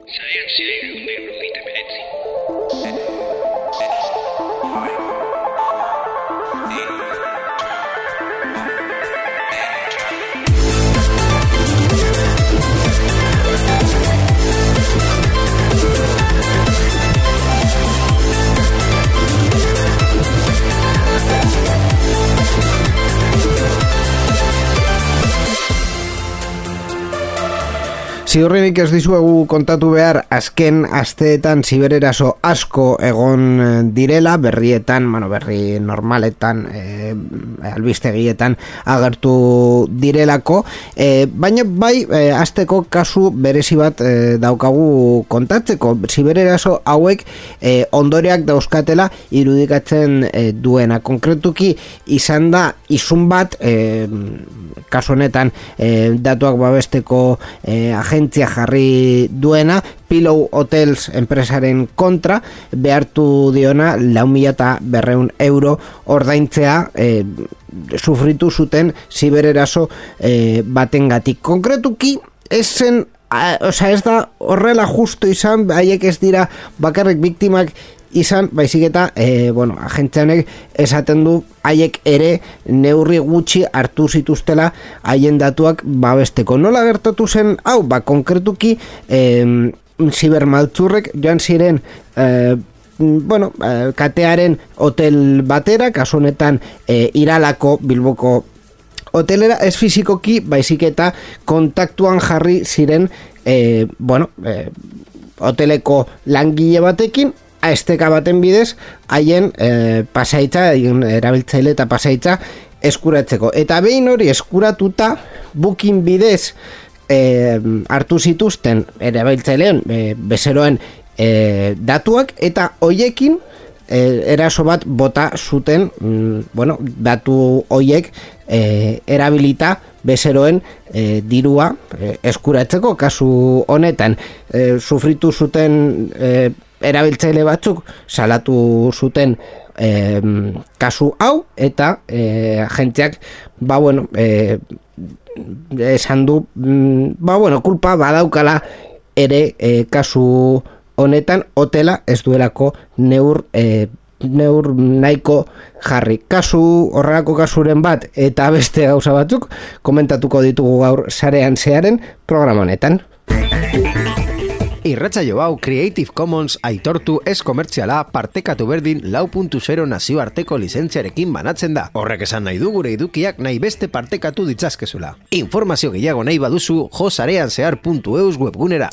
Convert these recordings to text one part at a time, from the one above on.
Sarean zehar 189. Ziurrenik ez dizuegu kontatu behar azken asteetan zibereraso asko egon direla, berrietan, berri normaletan, albistegietan agertu direlako, baina bai, asteko kasu berezi bat daukagu kontatzeko. Zibereraso hauek ondoreak dauzkatela irudikatzen duena. Konkretuki izan da izun bat, kasu honetan datuak babesteko agentzia jarri duena, Pillow Hotels enpresaren kontra behartu diona 4.200 euro ordaintzea sufritu zuten zibereraso batengatik. Konkretuki ez da horrela justu izan, haiek ez dira bakarrik biktimak izan, baizik eta agentzianek esaten du haiek ere neurri gutxi hartu zituztela haien datuak babesteko. Nola gertatu zen hau? Konkretuki zibermaltzurrek joan ziren katearen hotel batera, kasu honetan Iralako Bilboko hotelera, ez fizikoki baizik eta kontaktuan jarri ziren hoteleko langile batekin, esteka baten bidez haien pasaitza, erabiltzaile eta pasaitza eskuratzeko. Eta behin hori eskuratuta, Booking bidez hartu zituzten erabiltzaileen bezeroen datuak, eta hoiekin eraso bat bota zuten, datu hoiek erabilita bezeroen dirua eskuratzeko. Kasu honetan sufritu zuten erabiltzaile batzuk salatu zuten kasu hau, eta agentziak esan du kulpa badaukala ere kasu honetan, hotela ez duelako neur nahiko jarri. Horrelako kasuren bat eta beste gauza batzuk komentatuko ditugu gaur sarean zearen programa honetan. Irratsaio hau Creative Commons aitortu ez komertziala partekatu berdin 4.0 nazioarteko lizentziarekin banatzen da. Horrek esan nahi du gure edukiak nahi beste partekatu ditzazkezula. Informazio gehiago nahi baduzu josareanzehar.eus webgunera.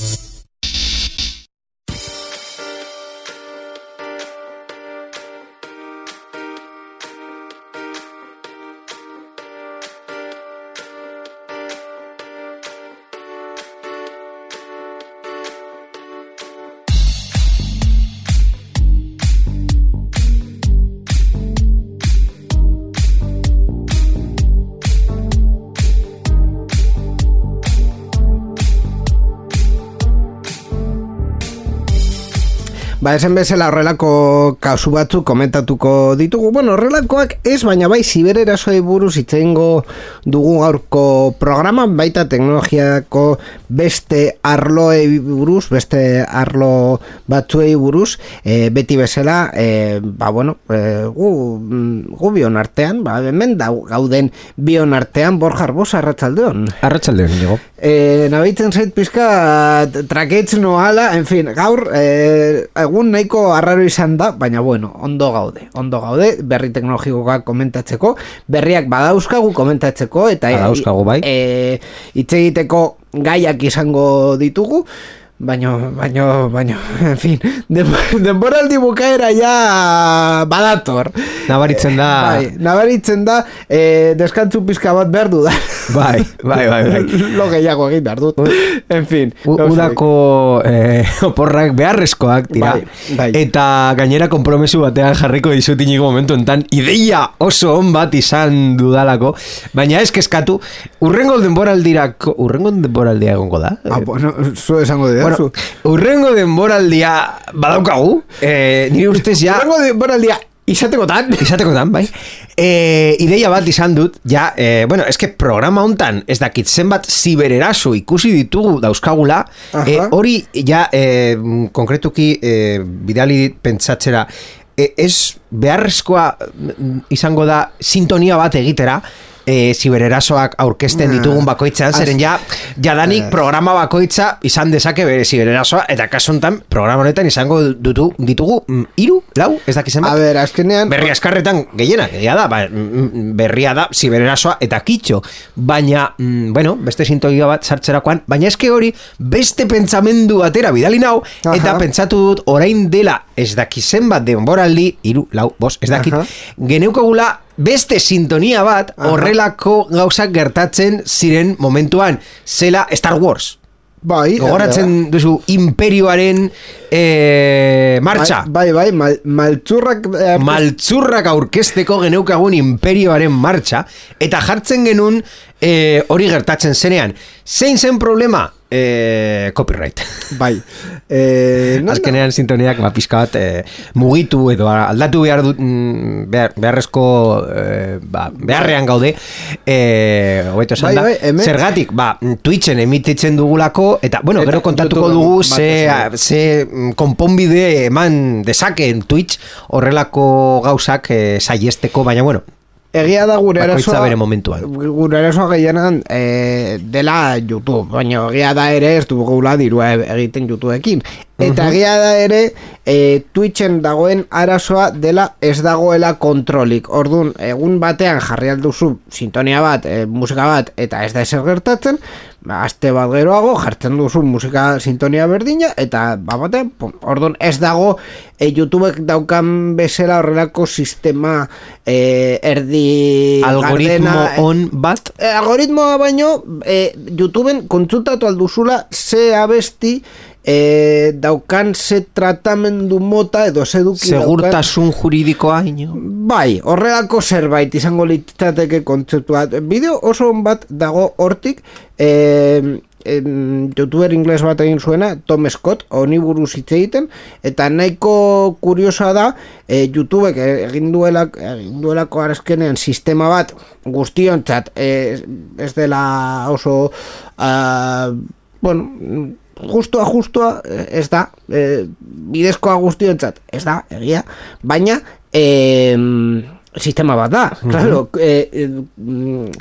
Esan bezala horrelako kasu batzuk komentatuko ditugu. Horrelakoak ez, baina bai zibererasoi buruz hitz egingo dugu gaurko programan, baita teknologiako beste arloei buruz, beste arlo batzuei buruz, beti bezala, gu bion artean, hemen gauden bion artean, Borja Arbosa, arratsaldeon. Arratsaldeon, digo. Nabaitzen zait pizka traketz noala, en fin, gaur egun nahiko arraro izan da, baina ondo gaude, berri teknologikoak komentatzeko, berriak badauzkagu komentatzeko, eta hitz egiteko gaiak izango ditugu, baina, en fin, denboraldi bukaera ja badator. Nabaritzen da, deskantzu pizka bat behar du da. Bai. Lo gehiago egin behar dut. En fin. Udako oporrak beharrezkoak dira. Bai. Eta gainera konpromesu batean jarriko dizut inigo momentu enten ideia oso on bat izan dudalako. Baina ez kezkatu, urrengo denboraldia egongo da. Zu esango dira. Urrengo denboraldia badaukagu, nire ustez ja... Urrengo denboraldia Izatekotan, bai. Ideia bat izan dut, ja, bueno, eske programa hontan, ez dakit zenbat zibereraso ikusi ditugu dauzkagula, hori, ja, konkretuki, bidali pentsatzera, ez beharrezkoa izango da sintonia bat egitera, zibererasoak aurkezten ditugun bakoitzan, zeren jadanik programa bakoitza izan dezake bere zibererasoa, eta kasuntan programa honetan izango ditugu 3, 4, ez dakizen bat. A ber, azkenean berri askarretan gehienak, berria da zibererasoa eta kitxo, baina, bueno, beste sintonia bat sartzerakoan, baina eske hori beste pentsamendu batera bidali nau, eta pentsatu dut orain dela ez dakizen bat denboraldi, 3, 4, 5, ez dakit, geneukagula beste sintonia bat horrelako gauzak gertatzen ziren momentuan, zela Star Wars. Bai, gogoratzen duzu imperioaren martxa. Bai, maltzurrak aurkezteko geneukagun imperioaren martxa, eta jartzen genuen hori gertatzen zenean. Zein zen problema? Copyright. Bai. Azkenean sintoniak pizka bat mugitu edo aldatu behar dut beharrezko beharrean gaude hobeto esan da. Zergatik, Twitchen emititzen dugulako eta, bueno, gero kontatuko dugu ze konponbide eman dezakeen Twitch horrelako gauzak saiesteko, baina, bueno, egia da gure erasoa gehienan dela YouTube, baina egia da ere ez dugula dirua egiten YouTubeekin. Eta egia da ere Twitchen dagoen arazoa dela ez dagoela kontrolik. Orduan, egun batean jarri alduzu sintonia bat, musika bat, eta ez da ezer gertatzen, aste bat geroago jartzen duzu musika sintonia berdina, eta batean, orduan ez dago YouTubek daukan bezala horrelako sistema erdi algoritmo on bat? Algoritmoa baino YouTubeen kontsultatu alduzula ze abesti daukan ze tratamendu mota edo ze eduki segurtasun juridikoa ino? Bai, horrelako zerbait izango litzateke kontzeptua. Bideo oso bat dago hortik, youtuber ingles bat egin zuena, Tom Scott, honi buruz hitz egiten, eta nahiko kuriosa da, YouTubek egin duelako arazkenean sistema bat guztiontzat, ez dela oso bueno, justua ez da, bidezkoa guztiontzat ez da, egia, baina sistema bat da, claro,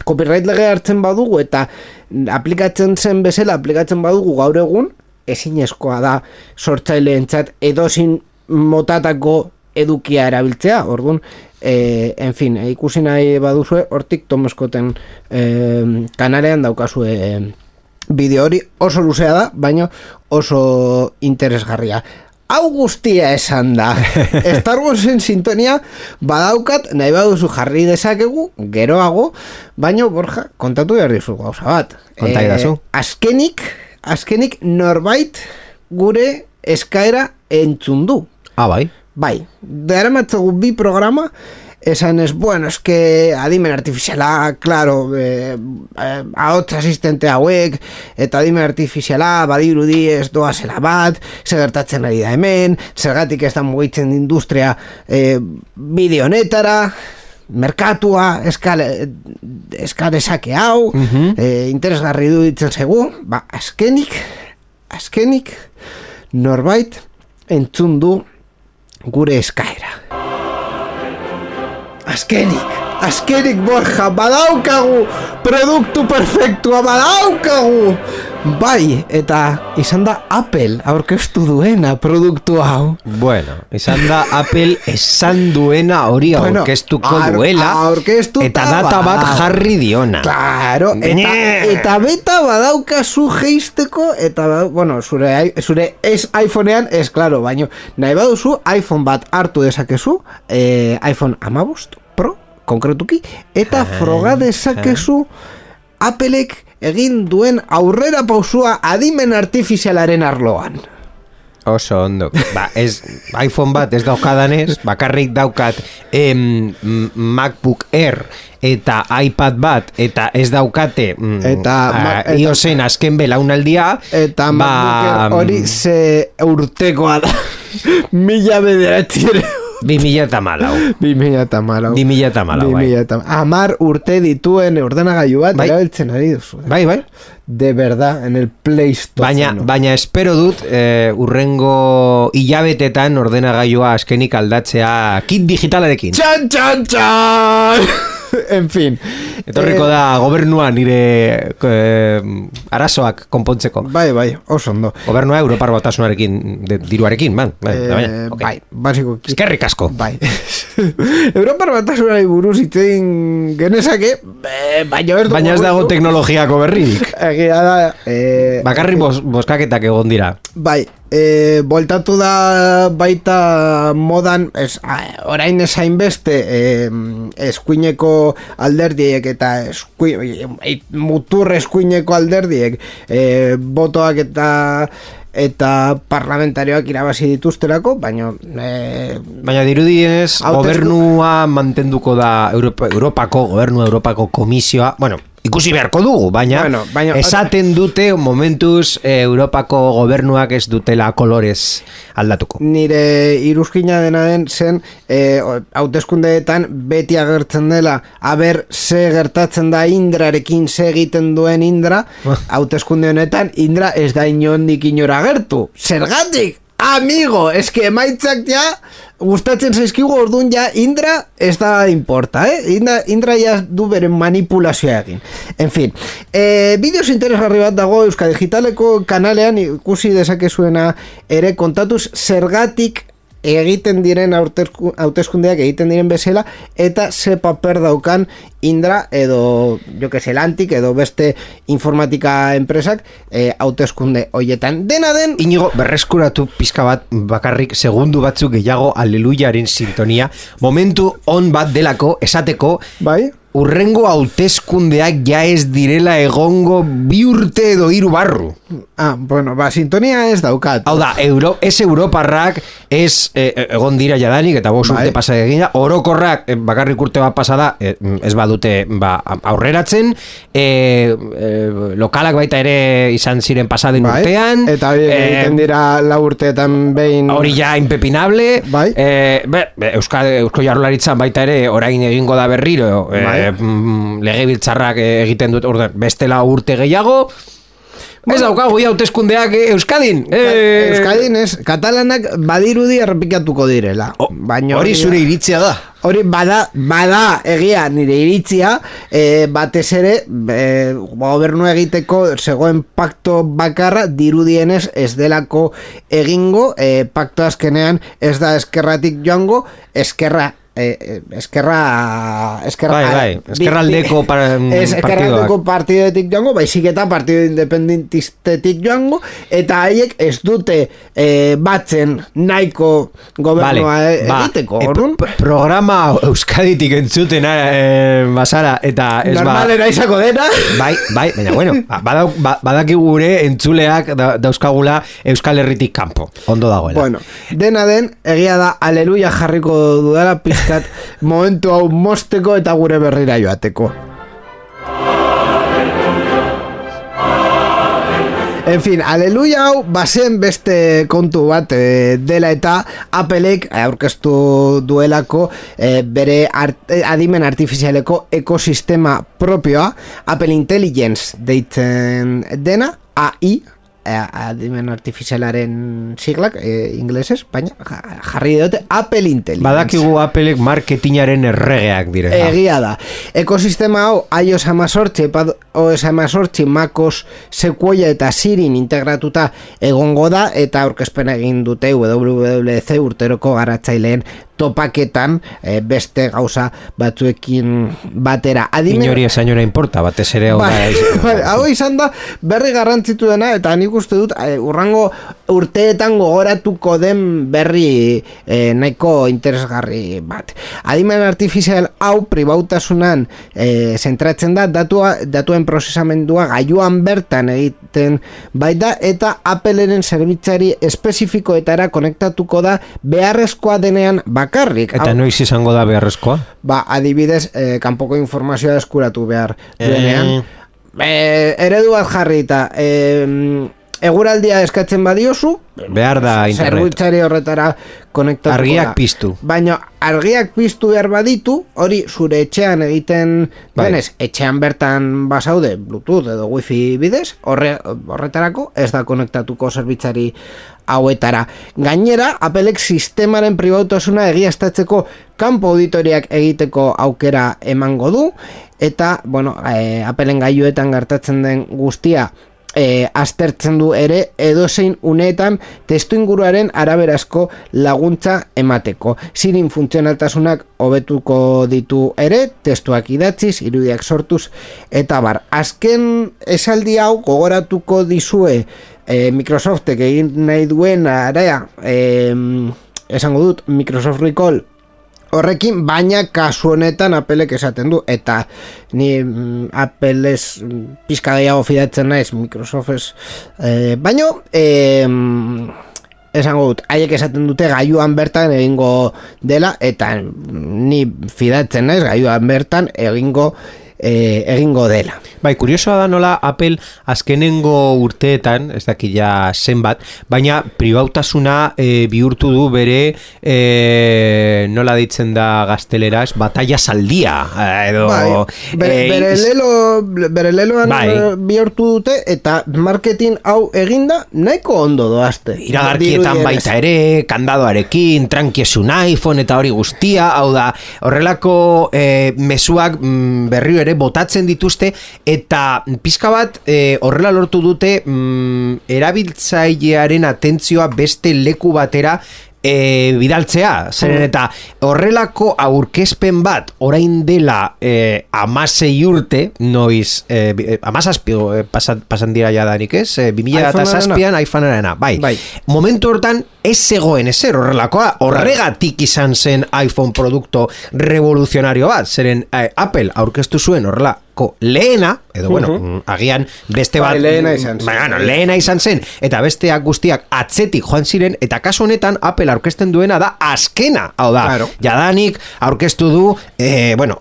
copyright lege hartzen badugu eta aplikatzen zen bezala aplikatzen badugu gaur egun, ezinezkoa da sortzaileentzat edozin motatako edukia erabiltzea, orduan, en fin, ikusi nahi baduzue, hortik Tom Scotten kanalean daukazue bideo hori, oso luzea da, baina oso interesgarria. Hau guztia esan da. Star Warsen sintonia badaukat, nahi baduzu jarri dezakegu, geroago, baina, Borja, kontatu behar dizu gauza bat. Konta idazu. Azkenik norbait gure eskaera entzun du. Bai. Bai, daramatzagu 2 programa, esan ez, bueno, eske adimen artifiziala, claro, ahots asistente hauek, eta adimen artifiziala badirudi ez doazela bat, segertatzen ari da hemen, zergatik ez da mugitzen industria bideo honetara, merkatua eskalezake hau, interesgarri duditzen zegu, azkenik norbait entzun du gure eskaera. Azkenik, Borja, badaukagu produktu perfektua, badaukagu. Bai, eta izan da Apple aurkeztu duena produktu hau. Bueno, izan da Apple esan duena hori aurkeztuko duela, eta data bat jarri diona. Claro, eta beta badaukazu geisteko, eta, bueno, zure iPhonean, ez, claro, baina nahi baduzu iPhone bat hartu dezakezu, iPhone 15 Pro, konkretuki, eta froga dezakezu Applek egin duen aurrera pausua adimen artifizialaren arloan. Oso ondo. iPhone bat ez daukadanez, bakarrik daukat MacBook Air eta iPad bat, eta ez daukate iOSen azken belaunaldia, eta MacBook Air hori ze urtekoa da. 1900 2014. 10 urte dituen ordenagailu bat erabiltzen ari duzu. Bai. De verdad, en el Play Store. Baina espero dut urrengo hilabetetan ordenagailua azkenik aldatzea kit digitalarekin. Txan! En fin. Etorriko da gobernua nire arazoak konpontzeko. Bai, oso ondo. Gobernua Europar Batasunarekin, diruarekin, bai, basiko. Eskerrik asko. Bai. Europar Batasunari buruz iten genezake, baina ez dago teknologiako berririk. Egia da... Bakarrik boskaketak egon dira. Bai, voltatu da baita modan, orain esain beste, eskuineko alderdiek eta mutur eskuineko alderdiek botoak eta parlamentarioak irabazi dituzterako, baina dirudienez gobernua mantenduko da Europako komisioa, ikusi beharko dugu, baina esaten dute momentuz Europako gobernuak ez dutela kolorez aldatuko. Nire iruzkina dena den zen hauteskundeetan beti agertzen dela aber ze gertatzen da Indrarekin, ze egiten duen Indra, hauteskunde honetan Indra ez da inondik inora agertu. Zergatik? Amigo, eske emaitzak ja gustatzen zaizkigu, orduan ja Indra ez da importa, Indra ja du beren manipulazioa egin. En fin, bideos interesgarri bat dago Euskal Digitaleko kanalean, ikusi dezakezuena ere kontatuz zergatik egiten diren hauteskundeak egiten diren bezala eta ze paper daukan Indra edo Lantik edo beste informatika enpresak hauteskunde hoietan. Dena den Inigo, berreskuratu pizka bat bakarrik segundu batzuk gehiago Aleluyaren sintonia, momentu on bat delako esateko bai? Urrengo hauteskundeak ja ez direla egongo 2 urte edo 3 barru. Sintonia ez daukat. Hau da, ez Europarrak, ez egon dira jadanik, eta 5 urte pasa egina, orokorrak bakarrik urte bat pasada, ez badute aurreratzen, lokalak baita ere izan ziren pasaden urtean, eta egiten dira 4 urteetan behin... Hori ja impepinable, Eusko Jaurlaritzan baita ere orain egingo da berriro, legebiltzarrak egiten dut bestela urte gehiago. Ez daukagu hauteskundeak Euskadin. Euskadin ez, katalanak badirudi errepikatuko direla. Hori zure iritzia da. Hori bada egia nire iritzia, batez ere gobernu egiteko zegoen pakto bakarra dirudienez ez delako egingo, pakto azkenean ez da eskerratik joango, eskerraldeko partidoetik joango, baizik eta partido independentistetik joango, eta haiek ez dute batzen nahiko gobernua egiteko. Programa Euskaditik entzuten basara, eta ez normalera izako dena. Bai, baina badaki gure entzuleak dauzkagula Euskal Herritik kanpo, ondo dagoela. Dena den, egia da, aleluia jarriko dudala momentu hau mosteko eta gure berrira joateko. En fin, aleluia hau bazen beste kontu bat dela eta Applek aurkeztu duelako bere adimen artifizialeko ekosistema propioa, Apple Intelligence deitzen dena, AI, adimen artifizialaren siglak inglesez, baina jarri dute Apple Intelligence. Badakigu Applek marketingaren erregeak direla. Egia da. Ekosistema hau iOS 18, iPadOS 18, MacOS Sequoia eta Sirin integratuta egongo da, eta aurkezpena egin dute WWDC urteroko garatzaileen topaketan beste gauza batzuekin batera. Inori esainora importa, batez ere hau izan da berri garrantzitu dena, eta nik uste dut urrango urteetan gogoratuko den berri nahiko interesgarri bat. Adimen artifizial hau pribautasunan zentratzen da, datuen prozesamendua gailuan bertan egiten baita, eta Appleren zerbitzari espezifikoetara konektatuko da beharrezkoa denean bakarrik. Eta noiz izango da beharrezkoa? Adibidez, kanpoko informazioa eskuratu behar duenean. Eredu bat jarri eta eguraldia eskatzen badiozu, behar da internet. Zerbitzari horretara konektatuko argiak da. piztu. Baina argiak piztu behar baditu, hori zure etxean egiten denez, etxean bertan basaude Bluetooth edo Wi-Fi bidez, horretarako ez da konektatuko zerbitzari hauetara. Gainera, Applek sistemaren pribautasuna egiaztatzeko kanpo auditoriak egiteko aukera emango du, eta, bueno, Applen gailuetan gertatzen den guztia aztertzen du ere edozein uneetan testuinguruaren araberazko laguntza emateko. Sirin funtzionaltasunak hobetuko ditu ere, testuak idatziz, irudiak sortuz, eta bar. Azken esaldi hau gogoratuko dizue Microsoftek egin nahi duen area, esango dut Microsoft Recall horrekin, baina kasu honetan Applek esaten du, eta ni Apple ez pizka gehiago fidatzen naiz Microsoft ez, baino esango dut, haiek esaten dute gailuan bertan egingo dela, eta ni fidatzen naiz gailuan bertan egingo dela. Bai, kuriosoa da nola Apple azkenengo urteetan, ez daki ja zenbat, baina pribautasuna bihurtu du bere nola ditzen da gazteleraz, batalla saldia edo bere leloan bihurtu dute, eta marketing hau eginda nahiko ondo doazte. Iragarkietan baita ere, kandadoarekin, trankiesun iPhone eta hori guztia, hau da, horrelako mezuak berrio ere botatzen dituzte, eta pizka bat horrela lortu dute erabiltzailearen atentzioa beste leku batera bidaltzea, zeren eta horrelako aurkezpen bat orain dela 16 urte, noiz 17 pasan dira jadanik ez, 2007an iPhone-arena, bai. Momentu hortan ez zegoen ezer horrelakoa, horregatik izan zen iPhone produkto revoluzionario bat, zeren Apple aurkeztu zuen horrelako lehena, edo bueno, agian beste bat lehena izan zen, eta besteak guztiak atzetik joan ziren, eta kasu honetan Apple aurkezten duena da azkena, hau da, jadanik aurkeztu du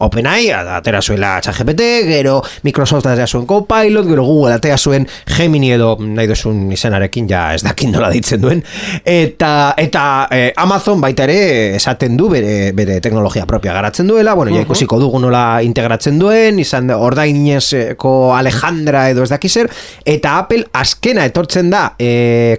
OpenAI atera zuela ChatGPT, gero Microsoft atera zuen Copilot, gero Google atera zuen Gemini edo nahi duzun izenarekin, ja ez dakin nola ditzen duen, eta Amazon baita ere esaten du bere teknologia propia garatzen duela, bueno, ja ikusiko dugu nola integratzen duen, izan ordainezko Alejandra edo ez dakizer, eta Apple azkena etortzen da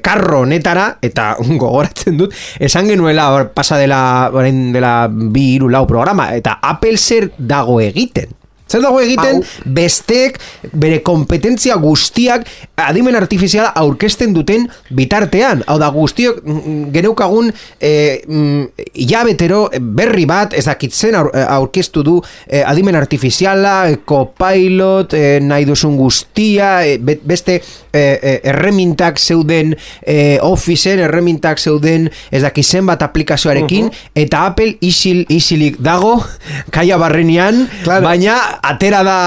karro honetara, eta gogoratzen dut, esan genuela pasa dela 2-3 programa, eta Apple zer dago egiten? Zer dago egiten, bestek bere kompetentzia guztiak adimen artifiziala aurkezten duten bitartean. Hau da, guztiok geneukagun hilabetero berri bat, ez dakitzen aurkeztu du adimen artifiziala, Copilot, nahi duzun guztia, beste erremintak zeuden Officeen, erremintak zeuden ez dakitzen bat aplikazioarekin, eta Apple isilik dago, kaia barrenean, baina atera da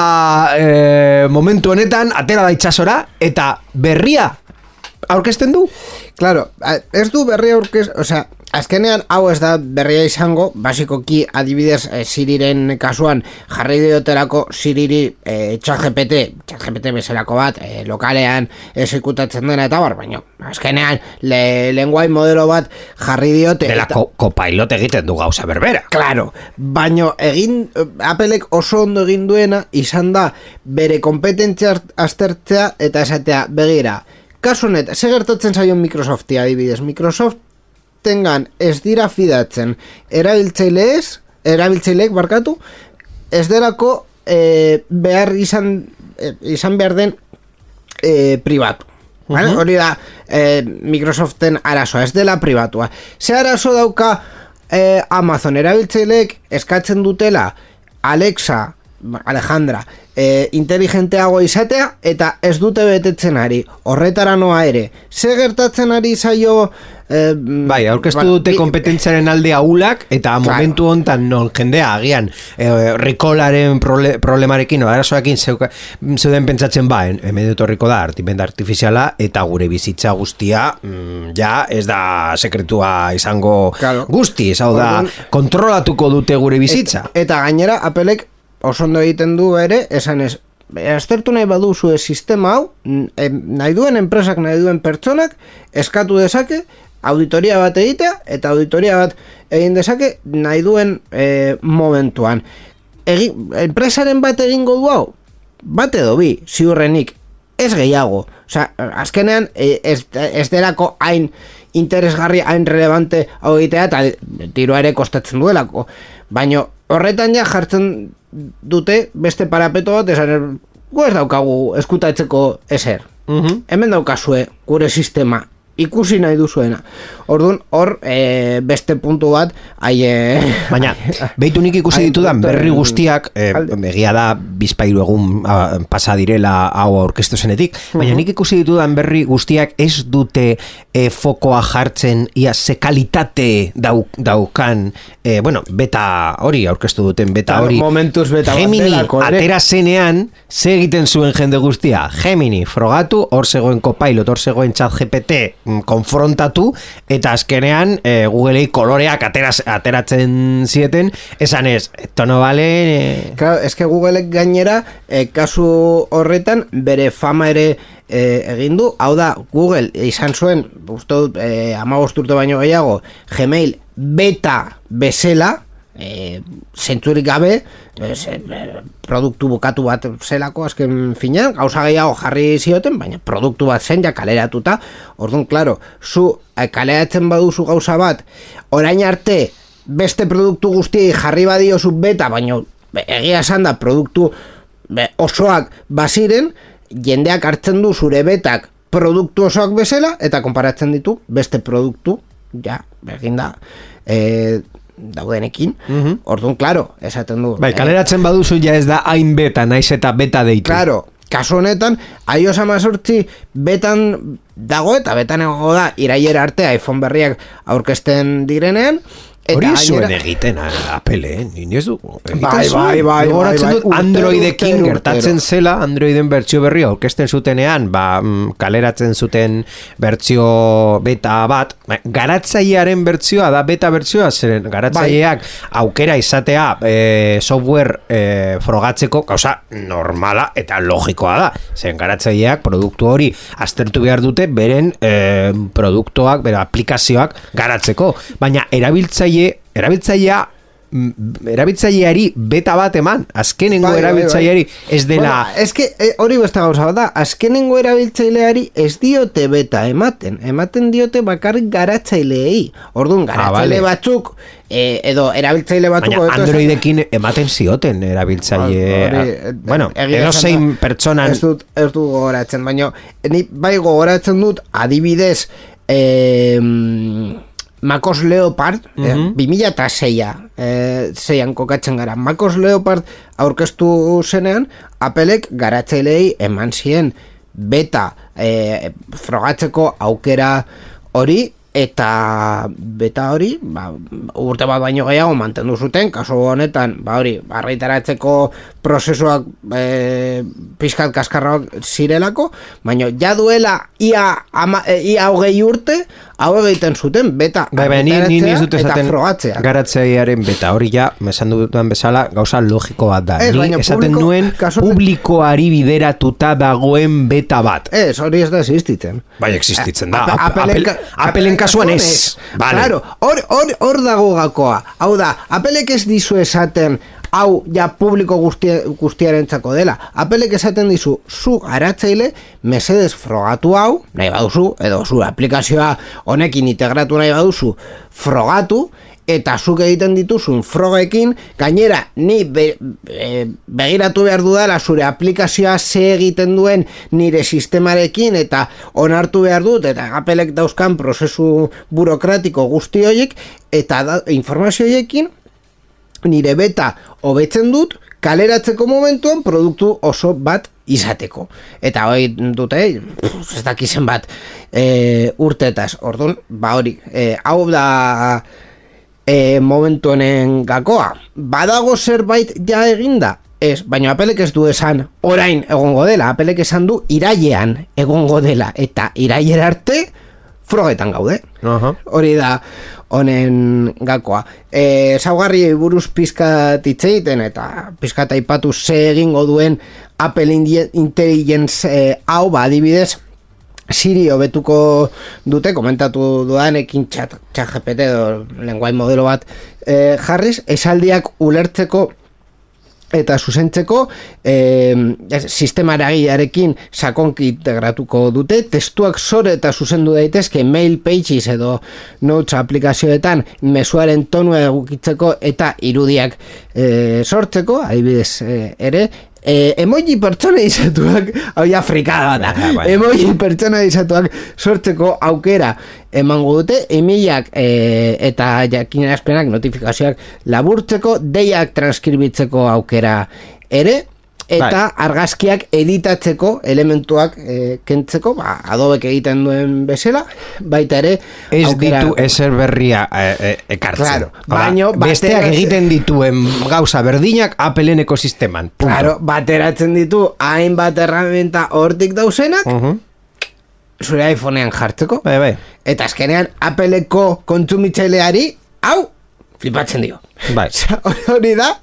momentu honetan, atera da itsasora, eta berria aurkezten du? Claro, ez du berria aurkezten, azkenean hau ez da berria izango, basikoki adibidez Siriren kasuan jarri diotelako Siriri ChatGPT bezalako bat lokalean exekutatzen dena eta baina azkenean lenguai modelo bat jarri diote dela Copilot egiten du gauza berbera. Claro, baina Applek oso ondo egin duena izan da bere kompetentzia aztertzea eta esatea begira, kasu honet, ze gertatzen zaion Microsofti adibidez, Microsoft tengan ez dira fidatzen erabiltzaileek barkatu ez delako behar izan behar den pribatu. Hori da Microsoften arazoa, ez dela pribatua. Ze arazo dauka Amazon erabiltzaileek eskatzen dutela Alejandra inteligenteago izatea eta ez dute betetzen ari, horretara noa ere. Ze gertatzen ari zaio aurkeztu dute kompetentziaren alde ahulak, eta momentu hontan non jendea agian Recallaren problemarekin o arazoekin zeuden pentsatzen hemen etorriko da artimenda artifiziala, eta gure bizitza guztia ja ez da sekretua izango guztiz, hau da, kontrolatuko dute gure bizitza. Eta gainera Applek oso ondo egiten du ere, esan ez, aztertu nahi baduzu sistema hau, nahi duen enpresak, nahi duen pertsonak, eskatu dezake, auditoria bat egitea, eta auditoria bat egin dezake, nahi duen momentuan. Enpresaren bat egingo du hau, bat edo bi, ziurrenik, ez gehiago. Osea, azkenean, ez delako hain interesgarri, hain relevante hau egitea, eta tiroa ere kostatzen duelako. Baina horretan ja jartzen dute beste parapeto bat, esan, gu ez daukagu eskutatzeko ezer. Hemen daukazue gure sistema, ikusi nahi duzuena. Orduan, hor, beste puntu bat, baina, behitu nik ikusi ditudan berri guztiak, egia da, bizpairu egun pasa direla hau aurkeztu zenetik, baina nik ikusi ditudan berri guztiak ez dute fokoa jartzen, ia ze kalitate daukan, beta hori aurkeztu duten, beta hori. Momentuz beta Gemini atera zenean, ze egiten zuen jende guztia. Gemini, frogatu, hor zegoen Copilot, hor zegoen ChatGPT, konfrontatu, eta azkenean Googleei koloreak ateratzen zieten, esan ez, esto no vale... Claro, es que Googleek gainera, kasu horretan, bere fama ere egin du, hau da, Google izan zuen, uste dut, 15 urte baino gehiago, Gmail beta bezala, zentzurik gabe, produktu bukatu bat zelako azken finean, gauza gehiago jarri zioten, baina produktu bat zen ja kaleratuta. Orduan, klaro, zu kaleratzen baduzu gauza bat, orain arte beste produktu guztiei jarri badiozu beta, baina egia esan da produktu osoak baziren, jendeak hartzen du zure betak produktu osoak bezala, eta konparatzen ditu beste produktu, ja, egin da, daudenekin, orduan, klaro, esaten du. Bai, kaleratzen baduzu ja ez da hain beta, naiz eta beta deitu. Klaro, kasu honetan, iOS 18 betan dago, eta betan egongo da, iraiera arte iPhone berriak aurkezten direnean, hori zuen egiten Apple, nini ez du. Bai. Androidekin gertatzen zela, Androiden bertsio berri aurkezten zutenean, kaleratzen zuten bertsio beta bat, garatzailearen bertsioa da beta bertsioa, zeren garatzaileak aukera izatea software frogatzeko, gauza normala eta logikoa da, zeren garatzaileak produktu hori aztertu behar dute beren produktuak, bere aplikazioak garatzeko, baina erabiltzaileari beta bat eman, azkenengo erabiltzaileari ez dela... Ez que hori besta gauza da, azkenengo erabiltzaileari ez diote beta ematen diote bakarrik garatzaileei. Orduan, garatzaile batzuk, edo erabiltzaile batzuk... Baina Androidekin ematen zioten erabiltzaile... edo zein pertsonan... Ez dut gogoratzen, baina ni bai gogoratzen dut adibidez... Macos Leopard, 2006an kokatzen gara. Macos Leopard aurkeztu zenean, Applek garatzaileei eman zien beta frogatzeko aukera hori, eta beta hori, urte bat baino gehiago mantendu zuten, kasu honetan, argitaratzeko prozesuak pixkat kaskarrak zirelako, baina ja duela ia 20 urte, hau egiten zuten beta argitaratzea eta frogatzea. Garatzailearen beta hori ja, esan dudan bezala, gauza logiko bat da. Ni esaten nuen publikoari bideratuta dagoen beta bat. Ez, hori ez da existitzen. Bai, existitzen da. Appleen kasuan ez. Claro, hor dago gakoa. Hau da, Applek ez dizu esaten hau ja publiko guztiarentzako dela. Applek esaten dizu, zu garatzaile mesedez frogatu hau, nahi baduzu, edo zu aplikazioa honekin integratu nahi baduzu, frogatu, eta zuk egiten dituzun frogekin, gainera ni begiratu behar dudala zure aplikazioa ze egiten duen nire sistemarekin, eta onartu behar dut, eta Applek dauzkan prozesu burokratiko guzti horiek, eta informazio horiekin nire beta hobetzen dut, kaleratzeko momentuan produktu oso bat izateko. Eta hori dute, ez dakizen bat urtetaz. Orduan, hori, hau da momentu honen gakoa. Badago zerbait ja eginda? Ez, baina Applek ez du esan orain egongo dela. Applek esan du irailean egongo dela. Eta irailera arte frogetan gaude. Hori da honen gakoa. Zaugarri buruz pizkat itzeiten eta pizkat aipatu ze egingo duen Apple Intelligence hau, adibidez, Siri hobetuko dute, komentatu dudanekin ChatGPT edo lenguai modelo bat jarriz, esaldiak ulertzeko eta zuzentzeko sistema eragilearekin sakonki integratuko dute, testuak sore eta zuzendu daitezke Mail Pages edo Notes aplikazioetan mezuaren tonua egukitzeko eta irudiak sortzeko, adibidez ere, emoji pertsonalizatuak, hau ja frikada da, emoji pertsonalizatuak sortzeko aukera emango dute, emailak eta jakinarazpenak, notifikazioak laburtzeko, deiak transkribitzeko aukera ere, eta argazkiak editatzeko elementuak kentzeko, Adobek egiten duen bezala, baita ere ez ditu ezer berria ekartzen. Claro, besteak egiten dituen gauza berdinak Appleen ekosisteman. Claro, bateratzen ditu hainbat erramenta hortik dauzenak, zure iPhonean jartzeko, eta azkenean Appleko kontsumitzaileari, hau, flipatzen dio. Hori da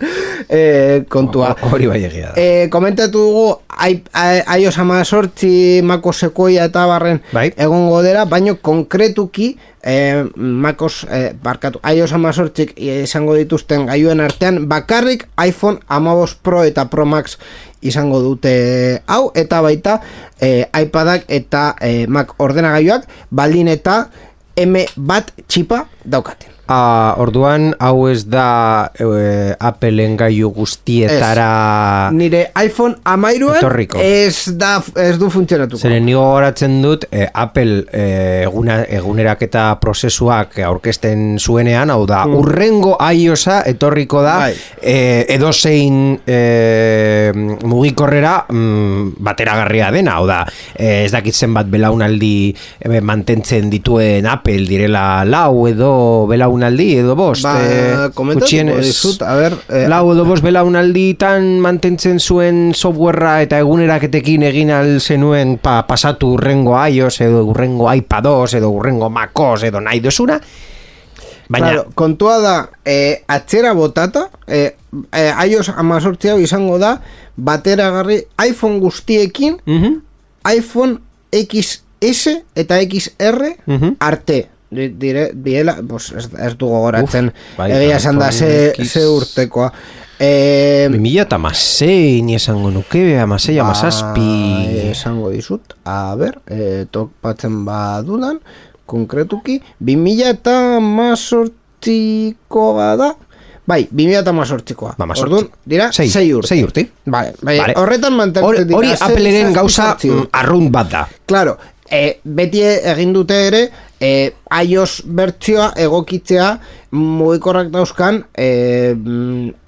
kontua. Hori bai egia da. Komentatu dugu iOS 18 Maco Sequoia eta barren egongo dela, baino konkretuki iOS 18 izango dituzten gailuen artean bakarrik iPhone 15 Pro eta Pro Max izango dute hau, eta baita iPadak eta Mac ordenagailuak baldin eta M1 txipa daukaten. Orduan, hau ez da Appleen gailu guztietara nire iPhone 13 ez du funtzionatuko. Zeren nigo horatzen dut Apple eguneraketa prozesuak aurkezten zuenean, hau da, urrengo iOS-a etorriko da edozein mugikorrera bateragarria dena, hau da, ez dakitzen bat belaunaldi mantentzen dituen Apple direla lau edo belaunaldi edo bost lau edo bost belaunalditan mantentzen zuen softwarea eta eguneraketekin egin al zenuen pasatu urrengo iOS edo urrengo iPadOS edo urrengo MacOS edo nahi dozuna, baina kontua da atzera botata iOS 18 hau izango da bateragarri iPhone guztiekin iPhone XS eta XR arte direla, ez dugu goratzen egia esan da ze urtekoa 2006 ni esango nuke, amasei, amazazpi esango dizut, a ber topatzen badudan konkretuki 2018koa da, bai, 2018koa orduan, dira, 6 urte vale. Horretan mantentzen dira hori Appleren gauza arrunt bat da, claro, beti egin dute ere iOS bertsioa egokitzea mugikorrak dauzkan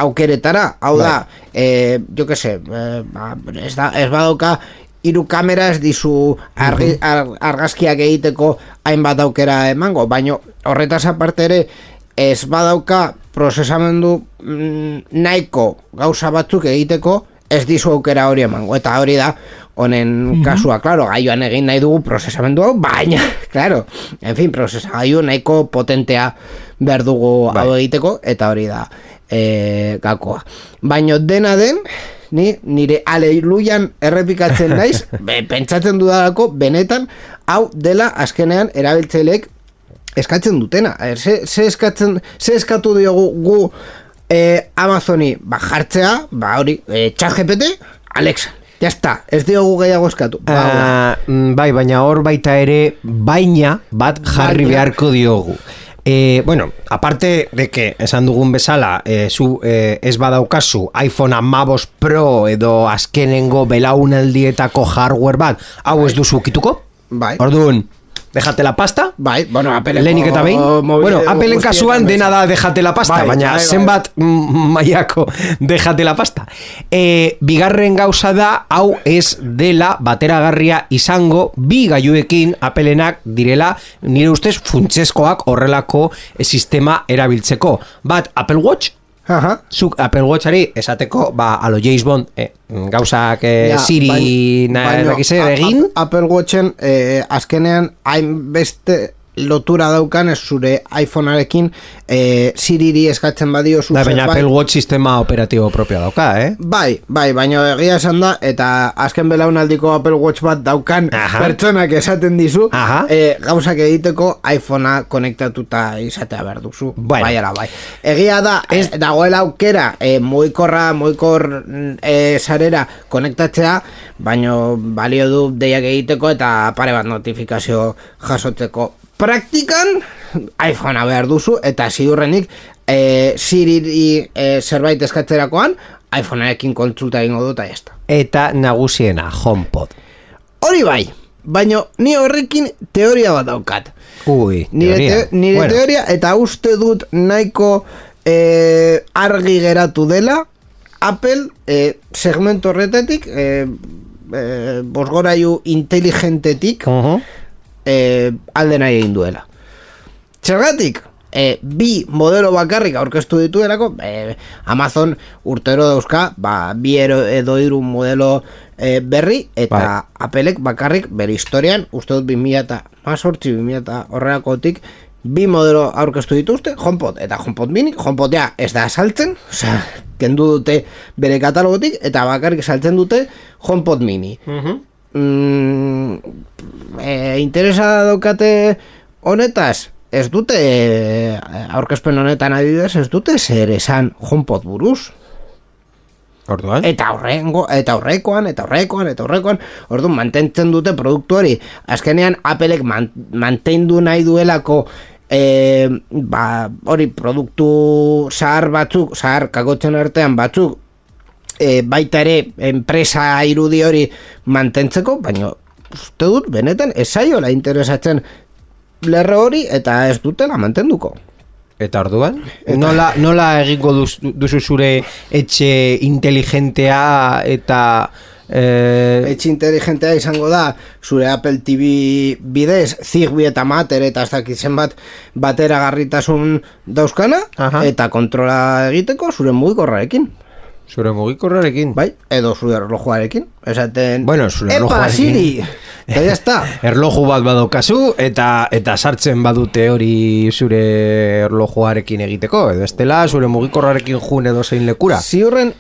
aukeretara, hau da jo que se ez badauka 3 kamera ez dizu argazkiak egiteko hainbat aukera emango, baino horretaz aparte ere ez badauka prozesamendu nahiko gauza batzuk egiteko ez dizu aukera hori emango, eta hori da honen kasua, claro, gaioan egin nahi dugu prozesamendu hau, baina, claro, en fin, prozesagailu nahiko potentea behar dugu hau egiteko, eta hori da gakoa. Baina dena den, nire aleluian errepikatzen naiz, pentsatzen dudalako, benetan, hau dela azkenean erabiltzaileek eskatzen dutena. Ze eskatu diogu gu Amazoni jartzea, hori, ChatGPT, Alexa. Ya está, ez diogu gehiago eskatu. Bai, baina hor baita ere baina bat jarri beharko diogu. Bueno, aparte de que esan dugun bezala zu ez badaukazu iPhone 15 Pro edo azkenengo belaunaldietako hardware bat, hau ez duzu ukituko? Bai. Orduan, déjate la pasta. Bai, bueno, Lehenik eta behin. Bueno, Appleen kasuan dena da déjate la pasta, baina zenbat mailako déjate la pasta. Bigarren gauza da, hau ez dela bateragarria izango bi gailuekin Appleenak direla, nire ustez funtsezkoak horrelako sistema erabiltzeko. Bat Apple Watch Zuk Apple Watchari esateko, alo James Bond, gauzak Siri egin. Apple Watchen azkenean hainbeste lotura daukan ez zure iPhonearekin Siriri eskatzen badio baina Apple Watch sistema operatibo propio dauka, Bai, baina egia esan da eta azken belaunaldiko Apple Watch bat daukan pertsonak esaten dizu gauzak egiteko iPhonea konektatuta izatea behar duzu. Bai. Egia da, dagoela aukera mugikor sarera konektatzea, baina balio du deiak egiteko eta pare bat notifikazio jasotzeko. Praktikan iPhonea behar duzu eta ziurrenik Siri zerbait eskatzerakoan iPhonearekin kontsulta egingo dut eta jazta. Eta nagusiena, HomePod. Hori bai, baina ni horrekin teoria bat daukat. Nire teoria eta uste dut nahiko argi geratu dela Apple segmento horretatik bosgorailu inteligentetik alde nahi egin duela. Zergatik, bi modelo bakarrik aurkeztu dituelako, Amazon urtero dauzka, bi edo hiru modelo berri, eta Applek bakarrik bere historian, uste dut 2018 horrelakotik, bi modelo aurkeztu dituzte, HomePod eta HomePod Mini. HomePod ja ez da saltzen, kendu dute bere katalogotik, eta bakarrik saltzen dute HomePod Mini. Interesa daukate honetaz, ez dute aurkezpen honetan adibidez, ez dute zer esan HomePod buruz. Orduan? Eta horrekoan, orduan mantentzen dute produktu hori. Azkenean Applek mantendu nahi duelako hori produktu zahar batzuk, zahar kakotzen artean batzuk, baita ere enpresa irudi hori mantentzeko, baina uste dut benetan ez zaiola interesatzen lerro hori eta ez dutela mantenduko. Eta orduan? Nola egingo duzu zure etxe inteligentea eta etxe inteligentea izango da zure Apple TV bidez Zigbee eta Matter eta ez dakit zenbat bateragarritasun dauzkana eta kontrola egiteko zure mugikorrarekin. Zure mugikorrarekin? Bai, edo zure erlojuarekin. Esaten, zure erlojuarekin. Siri! Eta jazta. Erloju bat badokazu eta sartzen badute hori zure erlojuarekin egiteko. Edo estela zure mugikorrarekin jun edo zein lekura. Ziurren,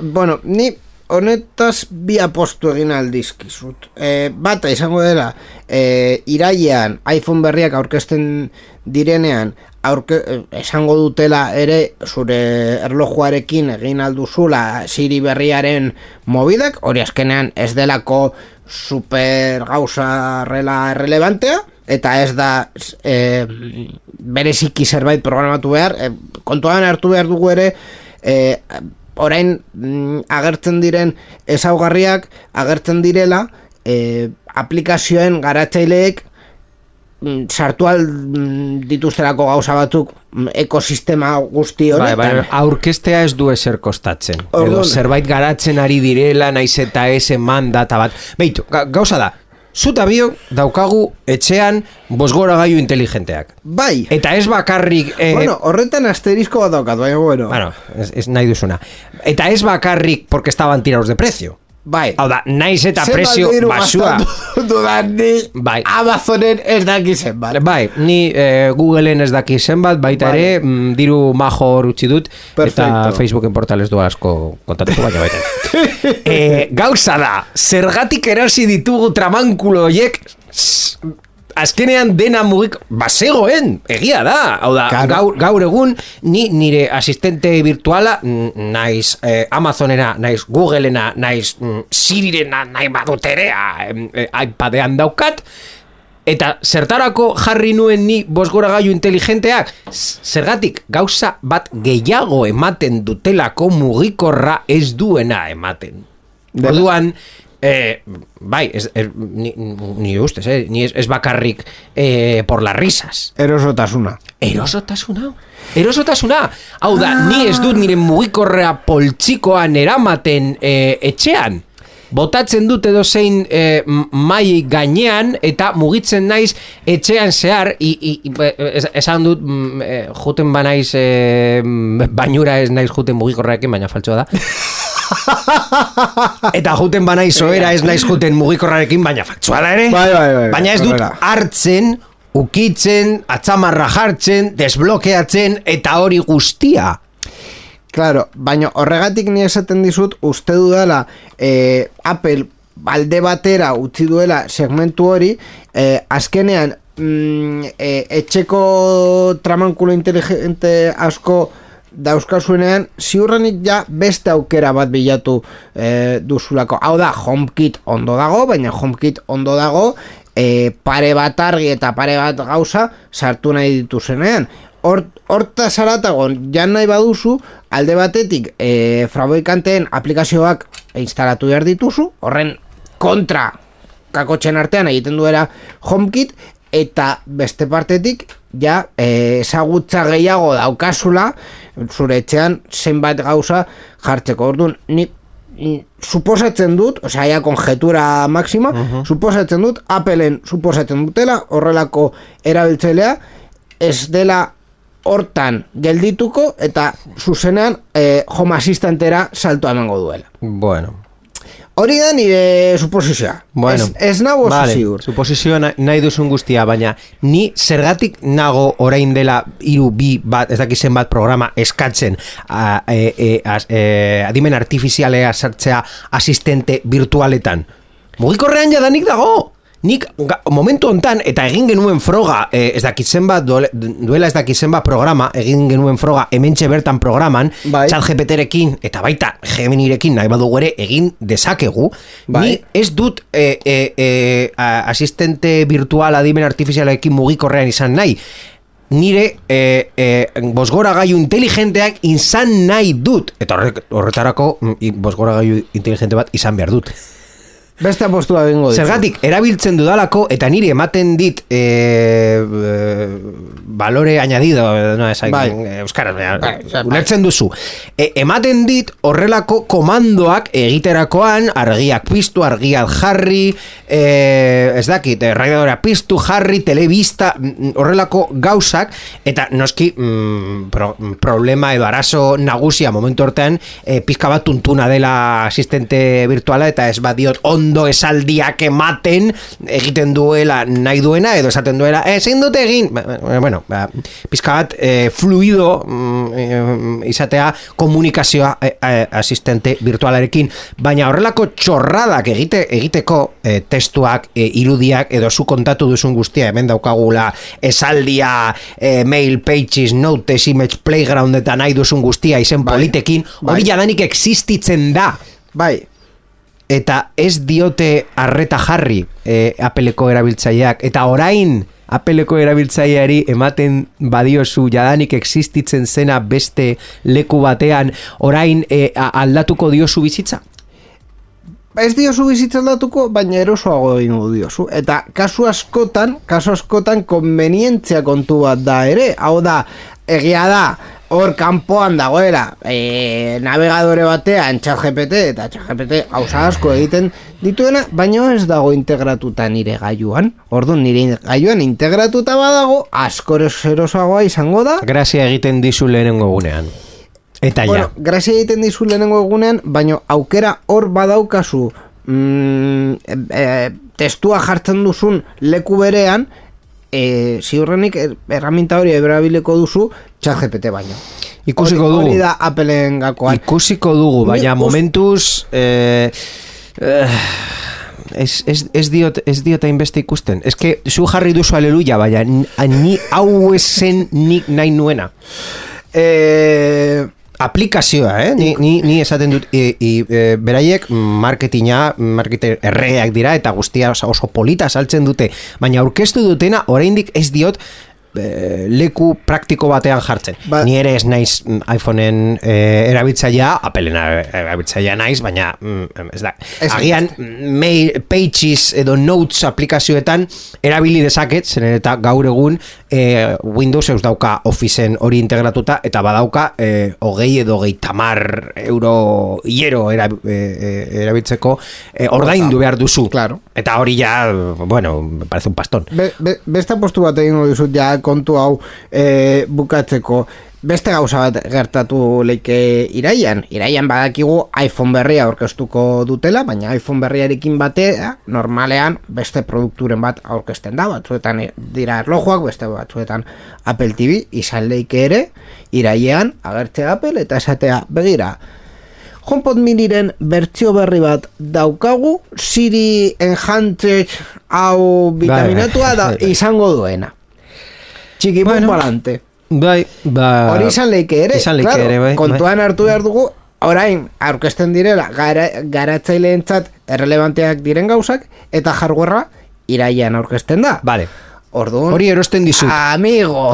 ni honetaz bi apostu egin aldizkizut. Bata izango dela, irailean iPhone berriak aurkezten direnean, esango dutela ere zure erlojuarekin egin alduzula Siri berriaren mobidak, hori azkenean ez delako super gauza relevantea, eta ez da bereziki zerbait programatu behar, kontuan hartu behar dugu ere, orain agertzen diren ezaugarriak agertzen direla aplikazioen garatzaileek sartu dituztelako gauza batzuk ekosistema guzti honetan. Aurkeztea ez du ezer kostatzen. Edo zerbait garatzen ari direla, naiz eta ez eman data bat. Beitu, gauza da, zuta biok daukagu etxean bosgoragailu inteligenteak. Bai. Eta ez bakarrik... horretan asterizko bat daukat, baina bueno. Ez nahi duzuna. Eta ez bakarrik porque estaban tirados de precio. Bai. Hau da, naiz eta presio basua. Bai. Amazonen ez daki zenbat. Bai, ni Googleen ez daki zenbat, baita ere, diru majo hor utzi dut, eta Facebooken portales du asko kontatuko baina baita. Gauza da, zergatik erosi ditugu tramankulo horiek, azkenean dena mugik bazegoen, egia da. Hau da, gaur egun nire asistente virtuala naiz Amazonena, naiz Googleena, naiz Sirirena, nahi baduterea iPadean daukat, eta zertarako jarri nuen ni bosgoragailu inteligenteak, zergatik gauza bat gehiago ematen dutelako mugikorra ez duena ematen. Orduan, bai, ni ustez, ni ez bakarrik por las risas. Erosotasuna. Hau da, ni ez dut nire mugikorrea poltsikoan eramaten etxean. botatzen dut edo zein mai gainean eta mugitzen naiz etxean zehar esan dut juten banaiz bainura ez naiz juten mugikorrarekin, baina faltsoa da. Eta juten banaiz oera ez naiz juten mugikorrarekin, baina faltsoa da ere. Bai. Baina ez dut hartzen, ukitzen, atzamarra jartzen, desblokeatzen eta hori guztia. Claro, baina horregatik ni esaten dizut uste dudala Apple alde batera utzi duela segmentu hori azkenean etxeko tramankulo inteligente asko dauzkazuenean ziurrenik ja beste aukera bat bilatu duzulako. Hau da, HomeKit ondo dago, baina HomeKit ondo dago pare bat argi eta pare bat gauza sartu nahi dituzenean. Horta zaratagon, jan nahi baduzu, alde batetik fabrikanteen aplikazioak instalatu behar dituzu, horren kontra kakotxen artean egiten duela HomeKit, eta beste partetik, ja, ezagutza gehiago daukazula, zure etxean zenbat gauza jartzeko. Orduan, ni suposatzen dut, osea, ja konjetura máxima, suposatzen dut, Appleen suposatzen dutela, horrelako erabiltzailea, ez dela hortan geldituko eta zuzenean Home Assistantera salto emango duela. Bueno. Hori da nire suposizioa. Bueno, ez nago oso ziur. Suposizioa nahi duzun guztia, baina ni zergatik nago orain dela 3-2 bat, ez dakizen bat programa eskatzen adimen artifizialea sartzea asistente virtualetan. Mugikorrean jadanik dago. Nik momentu hontan eta egin genuen froga ez dakitzen bat duela ez dakitzen bat programa egin genuen froga hementxe bertan programan ChatGPTrekin eta baita Geminirekin nahi badugu ere egin dezakegu. Ni ez dut asistente virtual adimen artifizialekin mugikorrean izan nahi. Nire bosgora gailu inteligenteak izan nahi dut eta horretarako bosgora gailu inteligente bat izan behar dut. Beste postua bengo ditu. Zergatik, erabiltzen dudalako eta nire ematen dit valore añadido, no, euskaraz, ulertzen duzu. Ematen dit horrelako komandoak egiterakoan, argiak piztu, argiak jarri, ez dakit, radiadora piztu, jarri, telebista, horrelako gauzak, eta noski problema edo arazo nagusia momentu hortean pizka bat tuntuna dela asistente virtuala eta ez badiot ondo esaldiak ematen egiten duela nahi duena edo esaten duela ezin dute egin bueno, pizka bat fluido izatea komunikazioa asistente virtualarekin, baina horrelako txorradak egiteko testuak, irudiak edo zu kontatu duzun guztia hemen daukagula esaldia, mail, pages, notes, image, playground eta nahi duzun guztia izen politekin, hori jadanik existitzen da. Bai. Eta ez diote arreta jarri Appleko erabiltzaileak eta orain Appleko erabiltzaileari ematen badiozu jadanik existitzen zena beste leku batean orain aldatuko diozu bizitza? Ez diozu bizitza aldatuko, baina erosoago egingo diozu. Eta kasu askotan konvenientzia kontu bat da ere. Hau da, egia da, hor kanpoan dagoela navegadore batean ChatGPT eta ChatGPT gauza asko egiten dituena, baina ez dago integratuta nire gailuan. Orduan nire gailuan integratuta badago, asko erosoagoa izango da. Grazia egiten dizu lehenengo egunean. Eta bueno, grazia egiten dizu lehenengo egunean, baina aukera hor badaukazu testua jartzen duzun leku berean, ziurrenik erraminta hori erabileko duzu ChatGPT baino. Ikusiko dugu. Hori da Appleen gakoan. Ikusiko dugu, baina momentuz ez diot hainbeste ikusten. Ez que zu jarri duzu aleluia, baina ni hau esen nik nahi nuena. Aplikazioa, ni esaten dut beraiek marketer erreak dira eta guztia oso polita saltzen dute, baina aurkeztu dutena oraindik ez diot leku praktiko batean jartzen. Ni ere ez naiz iPhoneen erabiltzailea, Appleen erabiltzailea naiz, baina ez da. Agian mail, pages edo notes aplikazioetan erabili dezaket, zen eta gaur egun Windows eus dauka Officeen hori integratuta, eta badauka 20 edo 30 euro hiero erabiltzeko ordaindu behar duzu. Claro. Eta hori ja, bueno, me parece un pastón. Beste postu bat egingo dizut ja kontu hau bukatzeko. Beste gauza bat gertatu leike iraian badakigu iPhone berria aurkeztuko dutela, baina iPhone berriarekin batea normalean beste produkturen bat aurkezten da, batzuetan dira erlojuak, beste batzuetan Apple TV, izan leike ere iraian agertzea Apple eta esatea begira, HomePod miniren bertsio berri bat daukagu, Siri Enhanced hau vitaminatua da izango duena. Txikipun balante. Hori izan leike ere, kontuan hartu behar dugu, orain aurkezten direla garatzaileentzat errelevanteak diren gauzak, eta hardwarea iraian aurkezten da. Vale. Orduan, hori erosten dizut. Amigo,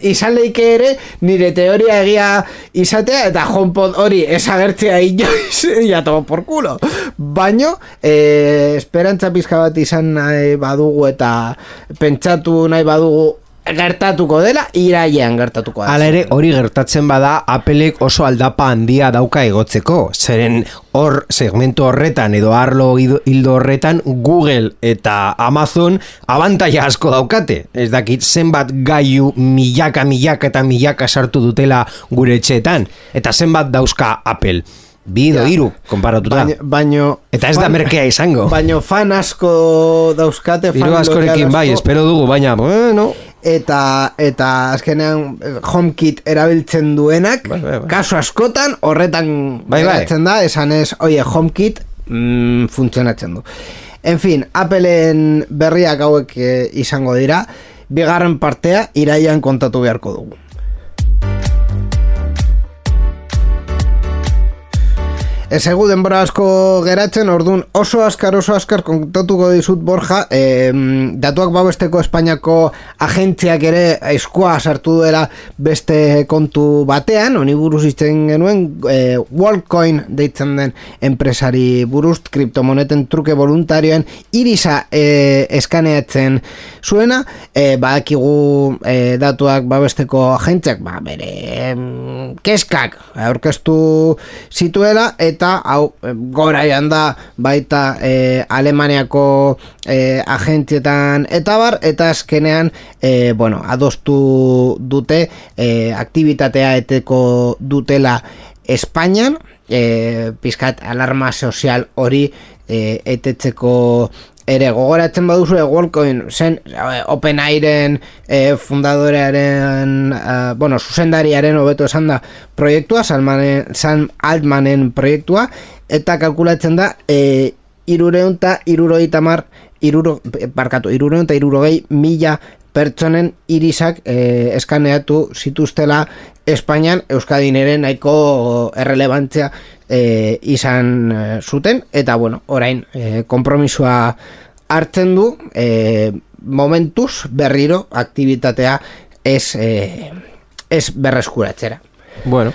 izan leike ere nire teoria egia izatea, eta HomePod hori esagertzea inoiz, ya tomo por culo. Baino, esperantza pizka bat izan nahi badugu eta pentsatu nahi badugu gertatuko dela, iraian gertatuko da. Hala ere, hori gertatzen bada, Applek oso aldapa handia dauka egotzeko. Zeren hor, segmento horretan edo arlo hildo horretan, Google eta Amazon abantaia asko daukate. Ez dakit, zenbat gailu milaka eta milaka sartu dutela gure etxeetan. Eta zenbat dauzka Apple. Bido, iru, konparatuta. Eta ez da merkea izango. Baino fan asko dauzkate. Iru askorekin bai, espero dugu, baina, bueno. Eta azkenean HomeKit erabiltzen duenak, kasu askotan horretan geratzen da, esan ez, oie, HomeKit funtzionatzen du. En fin, Appleen berriak hauek izango dira, bigarren partea iraian kontatu beharko dugu. Ez egu denbora asko geratzen, orduan oso askar kontatuko dizut Borja, datuak babesteko Espainiako agentziak ere eskua sartu duela beste kontu batean, honi buruz izten genuen, Worldcoin deitzen den enpresari buruz, kriptomoneten truke voluntarioen irisa eskaneatzen zuena, badakigu datuak babesteko agentziak, bere keskak aurkeztu zituela, eta hau goraian da baita Alemaniako agentzietan eta bar, eta azkenean adostu dute aktibitatea eteko dutela Espainian, pizkat alarma sozial hori etetzeko ere gogoratzen baduzu Worldcoin zen OpenAIren fundadorearen zuzendariaren hobeto esan da proiektua, Sam Altmanen proiektua, eta kalkulatzen da 360.000 pertsonen irisak eskaneatu zituztela Espainian, Euskadin ere nahiko errelebantzia izan zuten, eta orain konpromisoa hartzen du, momentuz berriro aktibitatea ez berreskuratzera. Bueno,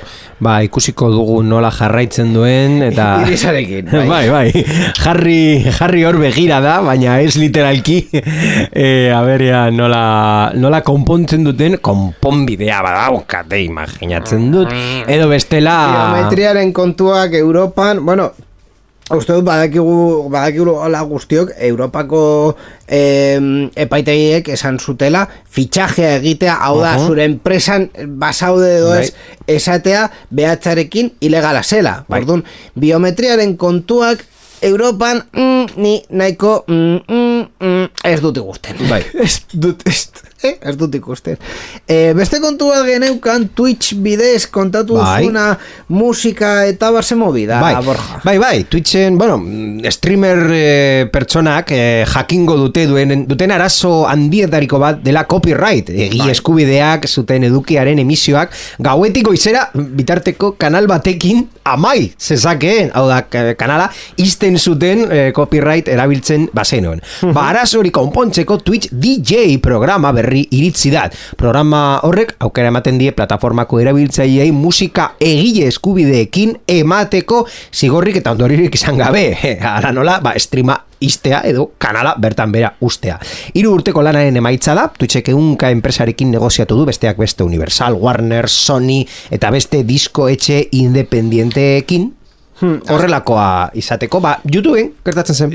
ikusiko dugu nola jarraitzen duen, eta irisarekin, bai. Jarri hor begira da, baina ez literalki, aberia nola konpontzen duten, konponbidea badaukate imaginatzen dut, edo bestela biometriaren kontuak Europan, uste dut badakigu hola guztiok Europako epaitegiek esan zutela fitxajea egitea, hau da zure enpresan basaude edo ez esatea behatzarekin ilegala zela. Orduan, biometriaren kontuak Europan ni nahiko ez dut ikusten. Ez dut ikusten. Beste kontu bat geneukan Twitch bidez kontatu duzuna musika eta barse movida, Borja. Bai, Twitchen, streamer pertsonak jakingo duten arazo handietariko bat dela copyright, eskubideak zuten edukiaren emisioak gauetiko izera bitarteko kanal batekin amai zezakeen, hau da kanala izten zuten copyright erabiltzen bazenoen. Arazo hori konpontzeko Twitch DJ programa berri iritzi da. Programa horrek aukera ematen die plataformako erabiltzaileei musika egile eskubideekin emateko zigorrik eta ondoririk izan gabe. Ara nola, streama istea edo kanala bertan bera ustea. 3 urteko lanaren emaitza da, Twitchek ehunka enpresarekin negoziatu du, besteak beste Universal, Warner, Sony eta beste disko etxe independienteekin horrelakoa izateko, YouTubeen gertatzen zen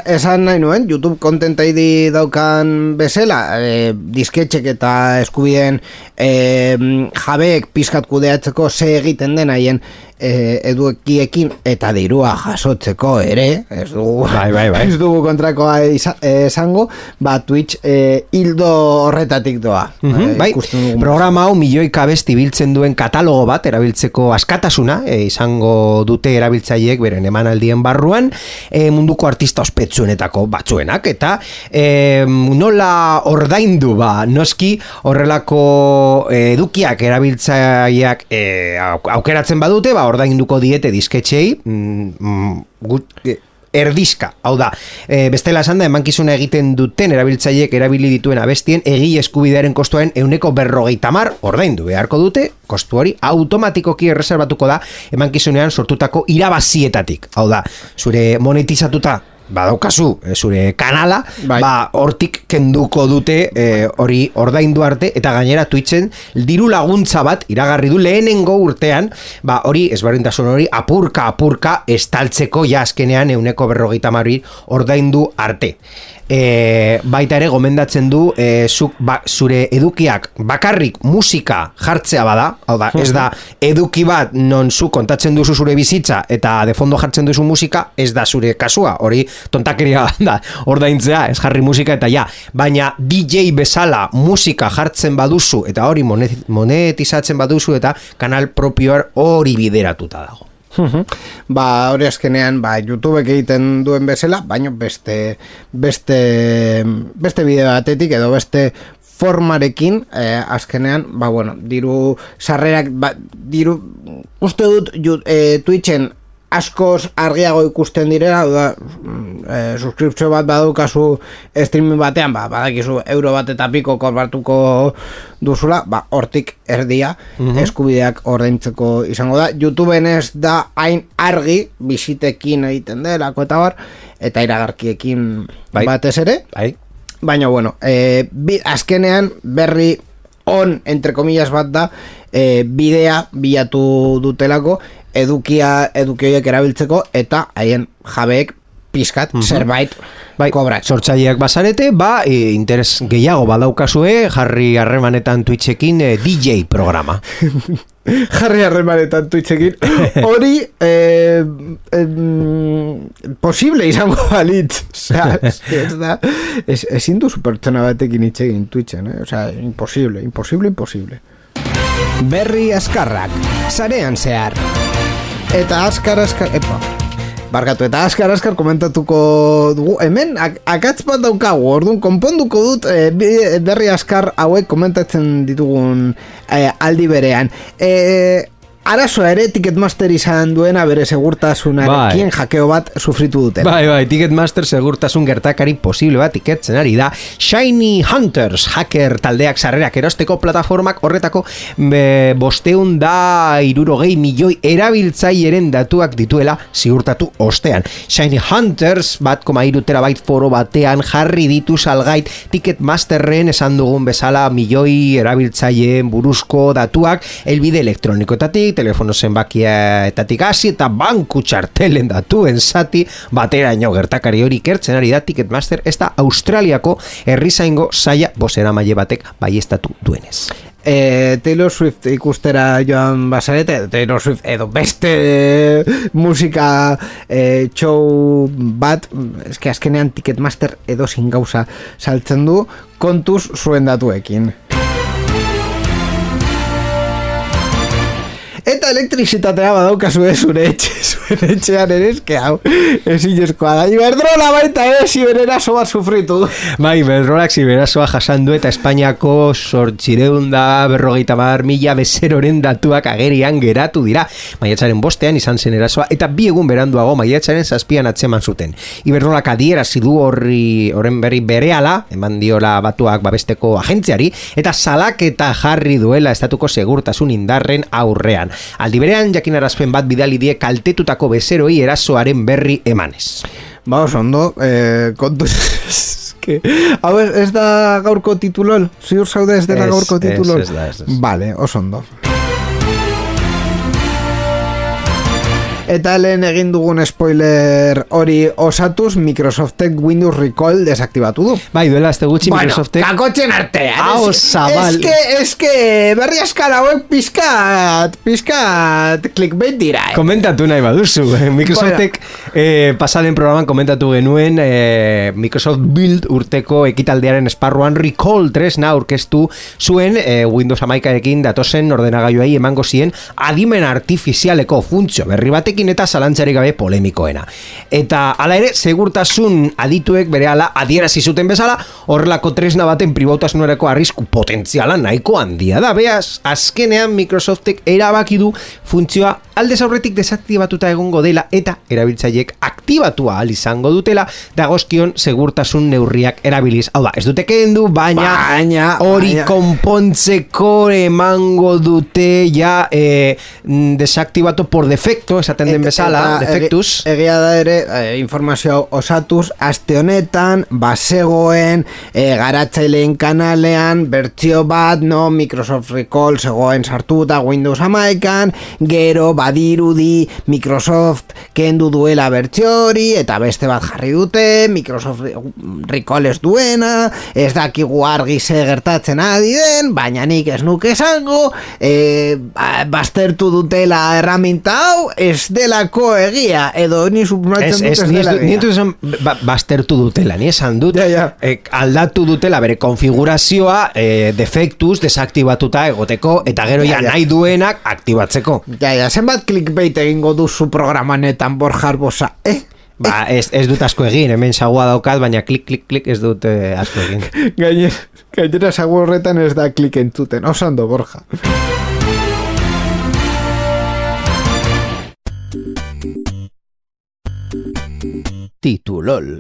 esan nahi nuen, YouTube Content ID daukan bezala, disketxek eta eskubideen jabeek pizkat kudeatzeko ze egiten den haien edukiekin eta dirua jasotzeko ere, ez dugu kontrakoa esango, Twitch hildo horretatik doa. Programa hau milioika abesti biltzen duen katalogo bat erabiltzeko askatasuna izango dute erabiltzaileek beren emanaldien barruan, munduko artista ospetsuenetako batzuenak, eta nola ordaindu noski horrelako edukiak erabiltzaileak aukeratzen badute, ordainduko diete disketxei erdizka, hau da, bestela esan da, emankizuna egiten duten erabiltzaileek erabili dituen abestien egile eskubidearen kostuaren 150 ordaindu beharko dute, kostu hori automatikoki erreserbatuko da emankizunean sortutako irabazietatik, hau da, zure monetizatuta badaukazu zure kanala, hortik kenduko dute hori ordaindu arte, eta gainera Twitchen diru laguntza bat iragarri du lehenengo urtean, hori ezberdintasun hori apurka estaltzeko azkenean 150 ordaindu arte. Baita ere gomendatzen du zure edukiak bakarrik musika jartzea bada, hau da, ez da eduki bat non zu kontatzen duzu zure bizitza eta de fondo jartzen duzu musika, ez da zure kasua, hori tontakeria da ordaintzea, ez jarri musika eta baina DJ bezala musika jartzen baduzu eta hori monetizatzen baduzu eta kanal propioa hori bideratuta dago. Hori azkenean YouTubek egiten duen bezala, baina beste bideo batetik edo beste formarekin azkenean, diru sarrerak, diru uste dut Twitchen askoz argiago ikusten direla, suskripzio bat badaukazu streaming batean, badakizu euro bat eta piko kobratuko duzula, hortik erdia eskubideak ordaintzeko izango da. YouTubeen ez da hain argi, bisitekin egiten delako eta eta iragarkiekin batez ere, baina azkenean berri on, entre comillas bat da, bidea bilatu dutelako eduki horiek erabiltzeko eta haien jabeek pizkat zerbait kobrat. Sortzaileak bazarete, interes gehiago badaukazue jarri harremanetan Twitchekin DJ programa. Jarri harremanetan Twitchekin hori posible izango balitz. Ezin duzu pertsona batekin itxegin Twitchen, imposible. Berri azkarrak, sarean zehar. Eta azkar komentatuko dugu, hemen akatz bat daukagu, orduan konponduko dut berri azkar hauek komentatzen ditugun aldi berean. Arazoa ere Ticketmaster izan duena bere segurtasunarekin hakeo bat sufritu dutela. Ticketmaster segurtasun gertakari posible bat iketzen ari da. Shiny Hunters hacker taldeak sarrerak erosteko plataformak horretako 560 milioi erabiltzaileren datuak dituela ziurtatu ostean. Shiny Hunters 1,3 terabyte foro batean jarri ditu salgait Ticketmasterren esan dugun bezala milioi erabiltzaileen buruzko datuak helbide elektronikoetatik, telefono zenbakietatik hasi eta banku txartelen datuen zati bateraino gertakari hori ikertzen ari da Ticketmaster, ez da Australiako herrizaingo saia bozeramaile batek baieztatu duenez. Taylor Swift ikustera joan bazarete, Taylor Swift edo beste musika show bat, eske azkenean Ticketmaster edo zin gauza saltzen du kontuz zuen datuekin. Eta elektrizitatea badaukazu zure etxean ere, eske hau ezinezkoa da. Iberdrola baita ziberaso bat sufritu. Iberdrolak ziberasoa jasan du eta Espainiako 850.000 bezeroren datuak agerian geratu dira. Maiatzaren 5 izan zen erasoa eta 2 egun beranduago maiatzaren 7 atzeman zuten. Iberdrolak adierazi du horren berri berehala, eman diola batuak babesteko agentziari, eta salaketa jarri duela estatuko segurtasun indarren aurrean. Aldi berean jakinarazpen bat bidali die kaltetutako bezeroi erasoaren berri emanez. Ba, oso ondo, kontu... Hau ez da gaurko titulol? Ziur zaude ez dela gaurko titulol? Ez da. Vale, oso ondo. Eta lehen egin dugun spoiler hori osatuz, Microsoftek Windows Recall desaktibatu du. Bai, duela azte gutxi Microsoftek... Bueno, kakotxen artean. Hau, zabal. Ez que berri askar hauek pizkat clickbait dira. Komentatu nahi baduzu. Microsoftek pasalen programan komentatu genuen Microsoft Build urteko ekitaldearen esparruan Recall 3 aurkeztu zuen Windows 11ekin datozen ordenagailuei emango zien adimen artifizialeko funtzio berri batek eta zalantzarik gabe polemikoena. Eta hala ere, segurtasun adituek berehala adierazi zuten bezala, horrelako tresna baten pribautasunerako arrisku potentziala nahiko handia da. Beaz, azkenean Microsoftek erabaki du funtzioa aldez aurretik desaktibatuta egongo dela eta erabiltzaileek aktibatua ahal izango dutela dagozkion segurtasun neurriak erabiliz. Hau da, ez dute kendu, baina hori konpontzeko emango dute ja desaktibatu por defecto, esaten den bezala, defectus. Egia da ere, informazio osatuz, aste honetan, bazegoen, garatzaileen kanalean, bertsio bat, Microsoft Recall zegoen sartuta Windows 11an, gero badirudi Microsoft kendu duela bertsio hori, eta beste bat jarri dute, Microsoft Recall ez duena, ez dakigu argi ze gertatzen ari den, baina nik ez nuke esango, baztertu dutela erraminta hau, ez delako egia, edo ni suposatzen dut ez dela egia. Ni esan baztertu dutela, ni esan dut aldatu dutela bere konfigurazioa defektuz desaktibatuta egoteko, eta gero ja nahi duenak aktibatzeko. Zenbat clickbait egingo duzu programanetan Borja Arbosa, Ba, ez dut asko egin, hemen sagua daukat, baina klik ez dut asko egin. Gainera sagu horretan ez da klik entzuten, osando Borja. Titulol.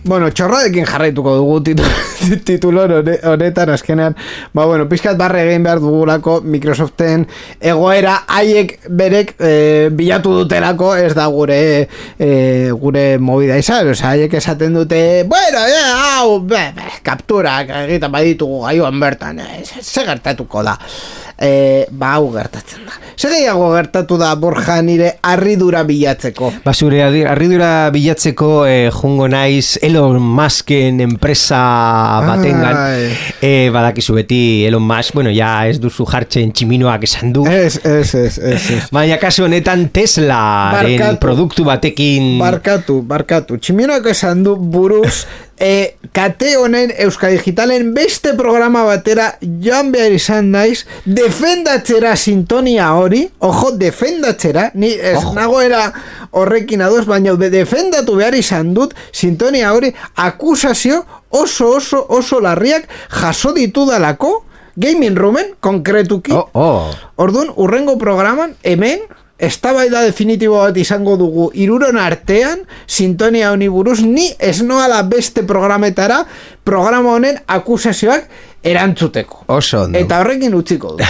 Bueno, txorradekin jarraituko dugu titulor honetan azkenean. Ba, bueno, pizkat barre egin behar dugulako Microsoften egoera haiek berek bilatu dutelako, ez da gure movida izan. Osa, haiek esaten dute, bueno, hau, kapturak egiten baditugu gaioan bertan, ze gertatuko da. Ba, hau gertatzen da. Zer gehiago gertatu da, Borja, nire harridura bilatzeko? Ba, zure harridura bilatzeko jungo naiz Elon Musken enpresa batengan. Badakizu beti Elon Musk, bueno, ja ez duzu jartzen tximinoak esan du. Ez. Baina kasu honetan Teslaren produktu batekin... Barkatu. Tximinoak esan du buruz... kate honen Euskal Digitalen beste programa batera joan behar izan naiz defendatzera sintonia hori, ojo, defendatzera, ni ez nagoera horrekin ados, baina defendatu behar izan dut sintonia hori akusazio oso larriak jaso ditudalako Gaming Roomen, konkretuki. Orduan, urrengo programan, hemen eztabaida definitibo bat izango dugu 3 artean, sintonia honi buruz, ni ez noala beste programetara programa honen akusazioak erantzuteko. Oso ondo. Eta horrekin utziko du.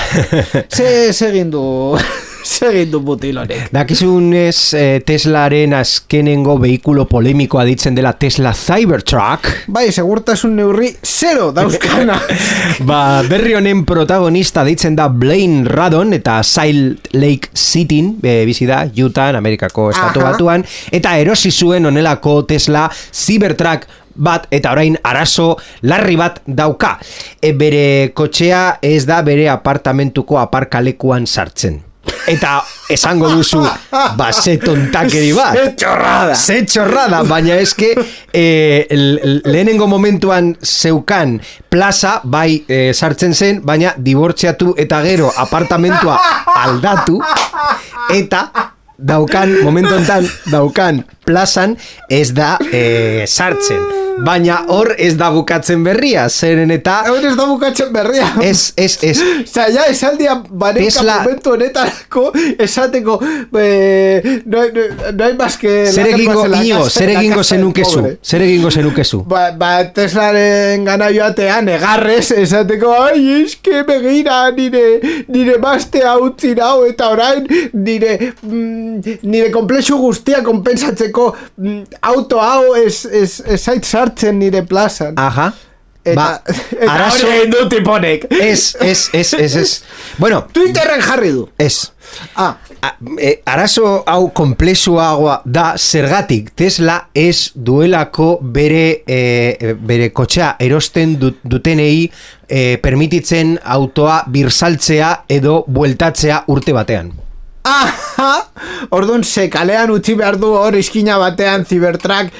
Segin du butilonek. Dakizunez Teslaren azkenengo behikulo polemikoa ditzen dela Tesla Cybertruck. Bai, segurtasun neurri 0 dauzkana. Ba, berri honen protagonista ditzen da Blaine Radon eta Salt Lake City bizi da, Utah, Amerikako estatu batuan, eta erosi zuen honelako Tesla Cybertruck bat, eta orain arazo larri bat dauka. Bere kotxea ez da bere apartamentuko aparkalekuan sartzen. Eta esango duzu, ze tontakeri bat. Ze txorrada, baina eske lehenengo momentuan zeukan plaza, bai sartzen zen, baina dibortziatu eta gero apartamentua aldatu, eta momentu enten daukan plazan ez da sartzen. Baina hor ez da bukatzen berria, zeren eta... Hor ez da bukatzen berria. Ez. Ja, esaldia baneka momentu honetarako esateko no hay más que... Zer egingo zenukezu? Teslaren gana joatean, egarrez, esateko, ai, eske begira nire mastea utzi nau, eta orain nire komplexu guztia konpensatzeko auto hau ez zait sartzen nire plazan. Aha. Eta hori egin du tiponek. Ez. Bueno. Twitterren jarri du. Ez. Arazo hau komplexuagoa da zergatik Tesla ez duelako bere kotxea erosten dutenei permititzen autoa birsaltzea edo bueltatzea urte batean. Orduan kalean utzi behar du hor iskina batean Cybertruck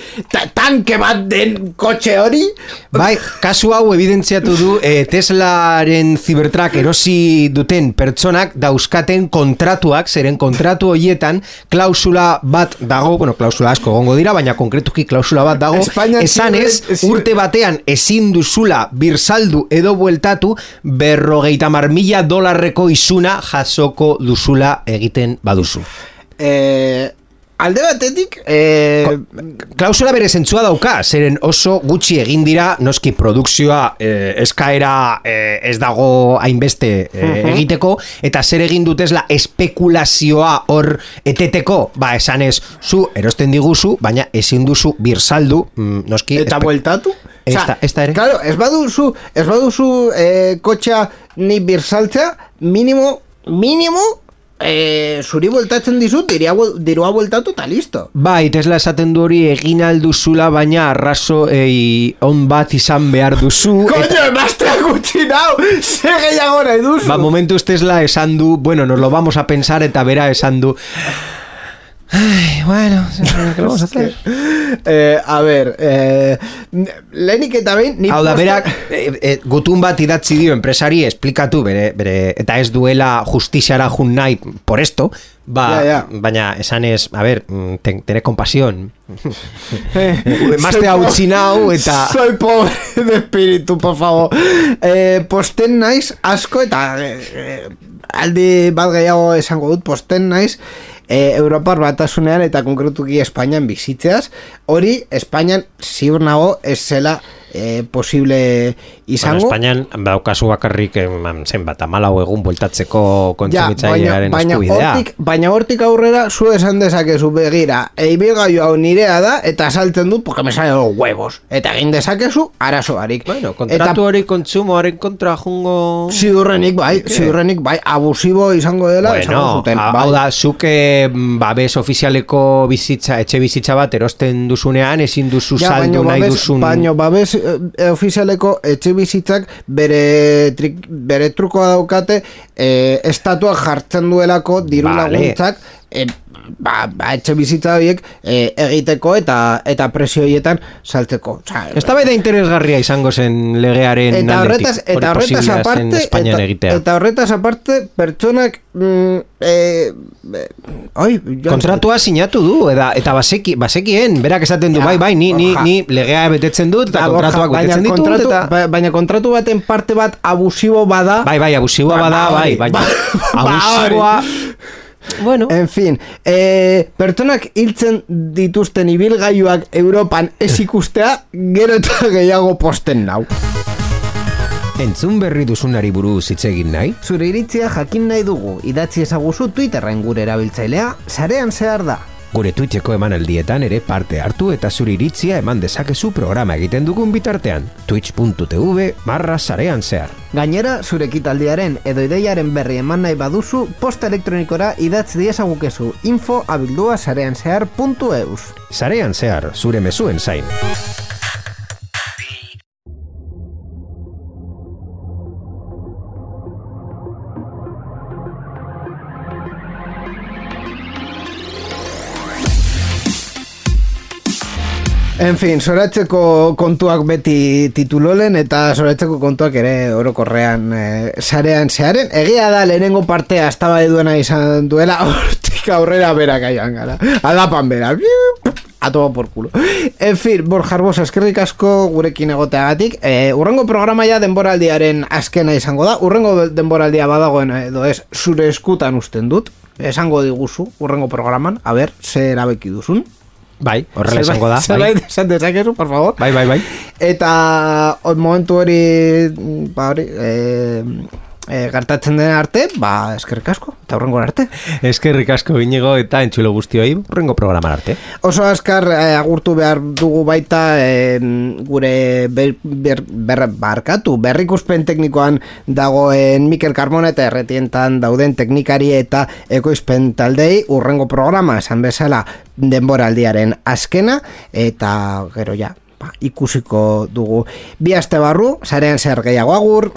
tanke bat den kotxe hori. Bai, kasu hau evidentziatu du Teslaren Cybertruck erosi duten pertsonak dauzkaten kontratuak, zeren kontratu horietan klausula bat dago, bueno, klausula asko gongo dira, baina konkretuki klausula bat dago, esanez urte batean ezin duzula birsaldu edo bueltatu $50,000 isuna jasoko duzula egiten baduzu. Alde batetik klausula bere zentzua dauka, zeren oso gutxi egin dira, noski produkzioa eskaera ez dago hainbeste egiteko, eta zer egin dutezla espekulazioa hor eteteko, esanez zu erosten diguzu, baina ezin duzu birsaldu, noski eta bueltatu? Esta ere. Claro, ez baduzu kotxea ni birsaltzea, mínimo zuri bueltatzen dizut, dirua bueltatu eta listo. Bai, Tesla esaten du hori egin alduzula, baina arrazo on bat izan behar duzu. Koño, emaztea gutxi nau, ze gehiago nahi duzu. Momentuz Tesla esan du, bueno, nos lo vamos a pensar, eta bera esan du... Ay, bueno, ¿qué vamos a hacer? A ver, lehenik eta behin... Hau da, berak, gutun bat idatzi dio enpresari, esplikatu bere, eta ez duela justiziara jun nahi por esto, baina esan ez, a ver, tener compasión. Emaztea utzi nau, eta... Soy pobre de espíritu, por favor. Posten naiz asko, eta aldi bat gehiago esango dut, posten naiz, Europar batasunean eta konkretuki Espainian bizitzeaz, hori Espainian ziur nago ez zela posible izango. Espainian daukazu bakarrik zenbat 14 egun bueltatzeko kontsumitzailearen eskubidea. Baina hortik aurrera zu esan dezakezu begira, ibilgailu hau nirea da eta saltzen dut porque me sale los huevos. Eta egin dezakezu arazoarik. Bueno, kontratu hori kontsumoaren kontra jungo... Ziurrenik bai, abusibo izango dela. Bueno, hau da, zuke babes ofizialeko etxe bizitza bat erosten duzunean, ezin duzu saldu nahi duzun... Baina babes ofizialeko etxe bizitzak bere trukoa daukate, estatuak jartzen duelako diru laguntzak, etxe bizitza horiek egiteko eta presio horietan saltzeko. Eztabaida interesgarria izango zen legearen aldetik. Eta horretaz aparte, pertsonak kontratua sinatu du, eta bazekien, berak esaten du, bai, ni legea betetzen dut, eta kontratuak betetzen ditut, baina kontratu baten parte bat abusibo bada. Bai, abusiboa bada, baina abusiboa... Bueno. En fin, pertsonak hiltzen dituzten ibilgailuak Europan ez ikustea, gero eta gehiago posten nau. Entzun berri duzunari buruz hitz egin nahi? Zure iritzia jakin nahi dugu, idatzi ezaguzu Twitterren gure erabiltzailea, sarean zehar da. Gure Twitcheko emanaldietan ere parte hartu eta zure iritzia eman dezakezu programa egiten dugun bitartean. twitch.tv/sarean zehar. Gainera, zure ekitaldiaren edo ideiaren berri eman nahi baduzu, posta elektronikora idatz diezagukezu info@sareanzehar.eus. Sarean zehar, zure mezuen zain. En fin, zoratzeko kontuak beti titulolen eta zoratzeko kontuak ere orokorrean sarean zeharen. Egia da lehenengo partea eztabaida duena izan duela, hortik aurrera berak aian gara. Aldapan bera. a toma por culo. En fin, Borja Arbosa, eskerrik asko gurekin egoteagatik. Urrengo programaia denboraldiaren azkena izango da. Urrengo denboraldia badagoen edo ez, zure eskutan usten dut. Esango diguzu, urrengo programan, a ber, ze erabeki duzun. Bai, horrela izango da. Zerbait esan dezakezu, por favor. Bai. Eta momentu hori, gertatzen den arte, eskerrik asko, eta hurrengo arte. Eskerrik asko Inigo eta entzulo guztioi, hurrengo programan arte. Oso azkar agurtu behar dugu baita gure berrikuspen teknikoan dagoen Mikel Carmona eta erretientan dauden teknikari eta ekoizpen taldei hurrengo programa esan bezala denboraldiaren azkena eta gero ja, ikusiko dugu. Bi aste barru, sarean zer gehiago agur.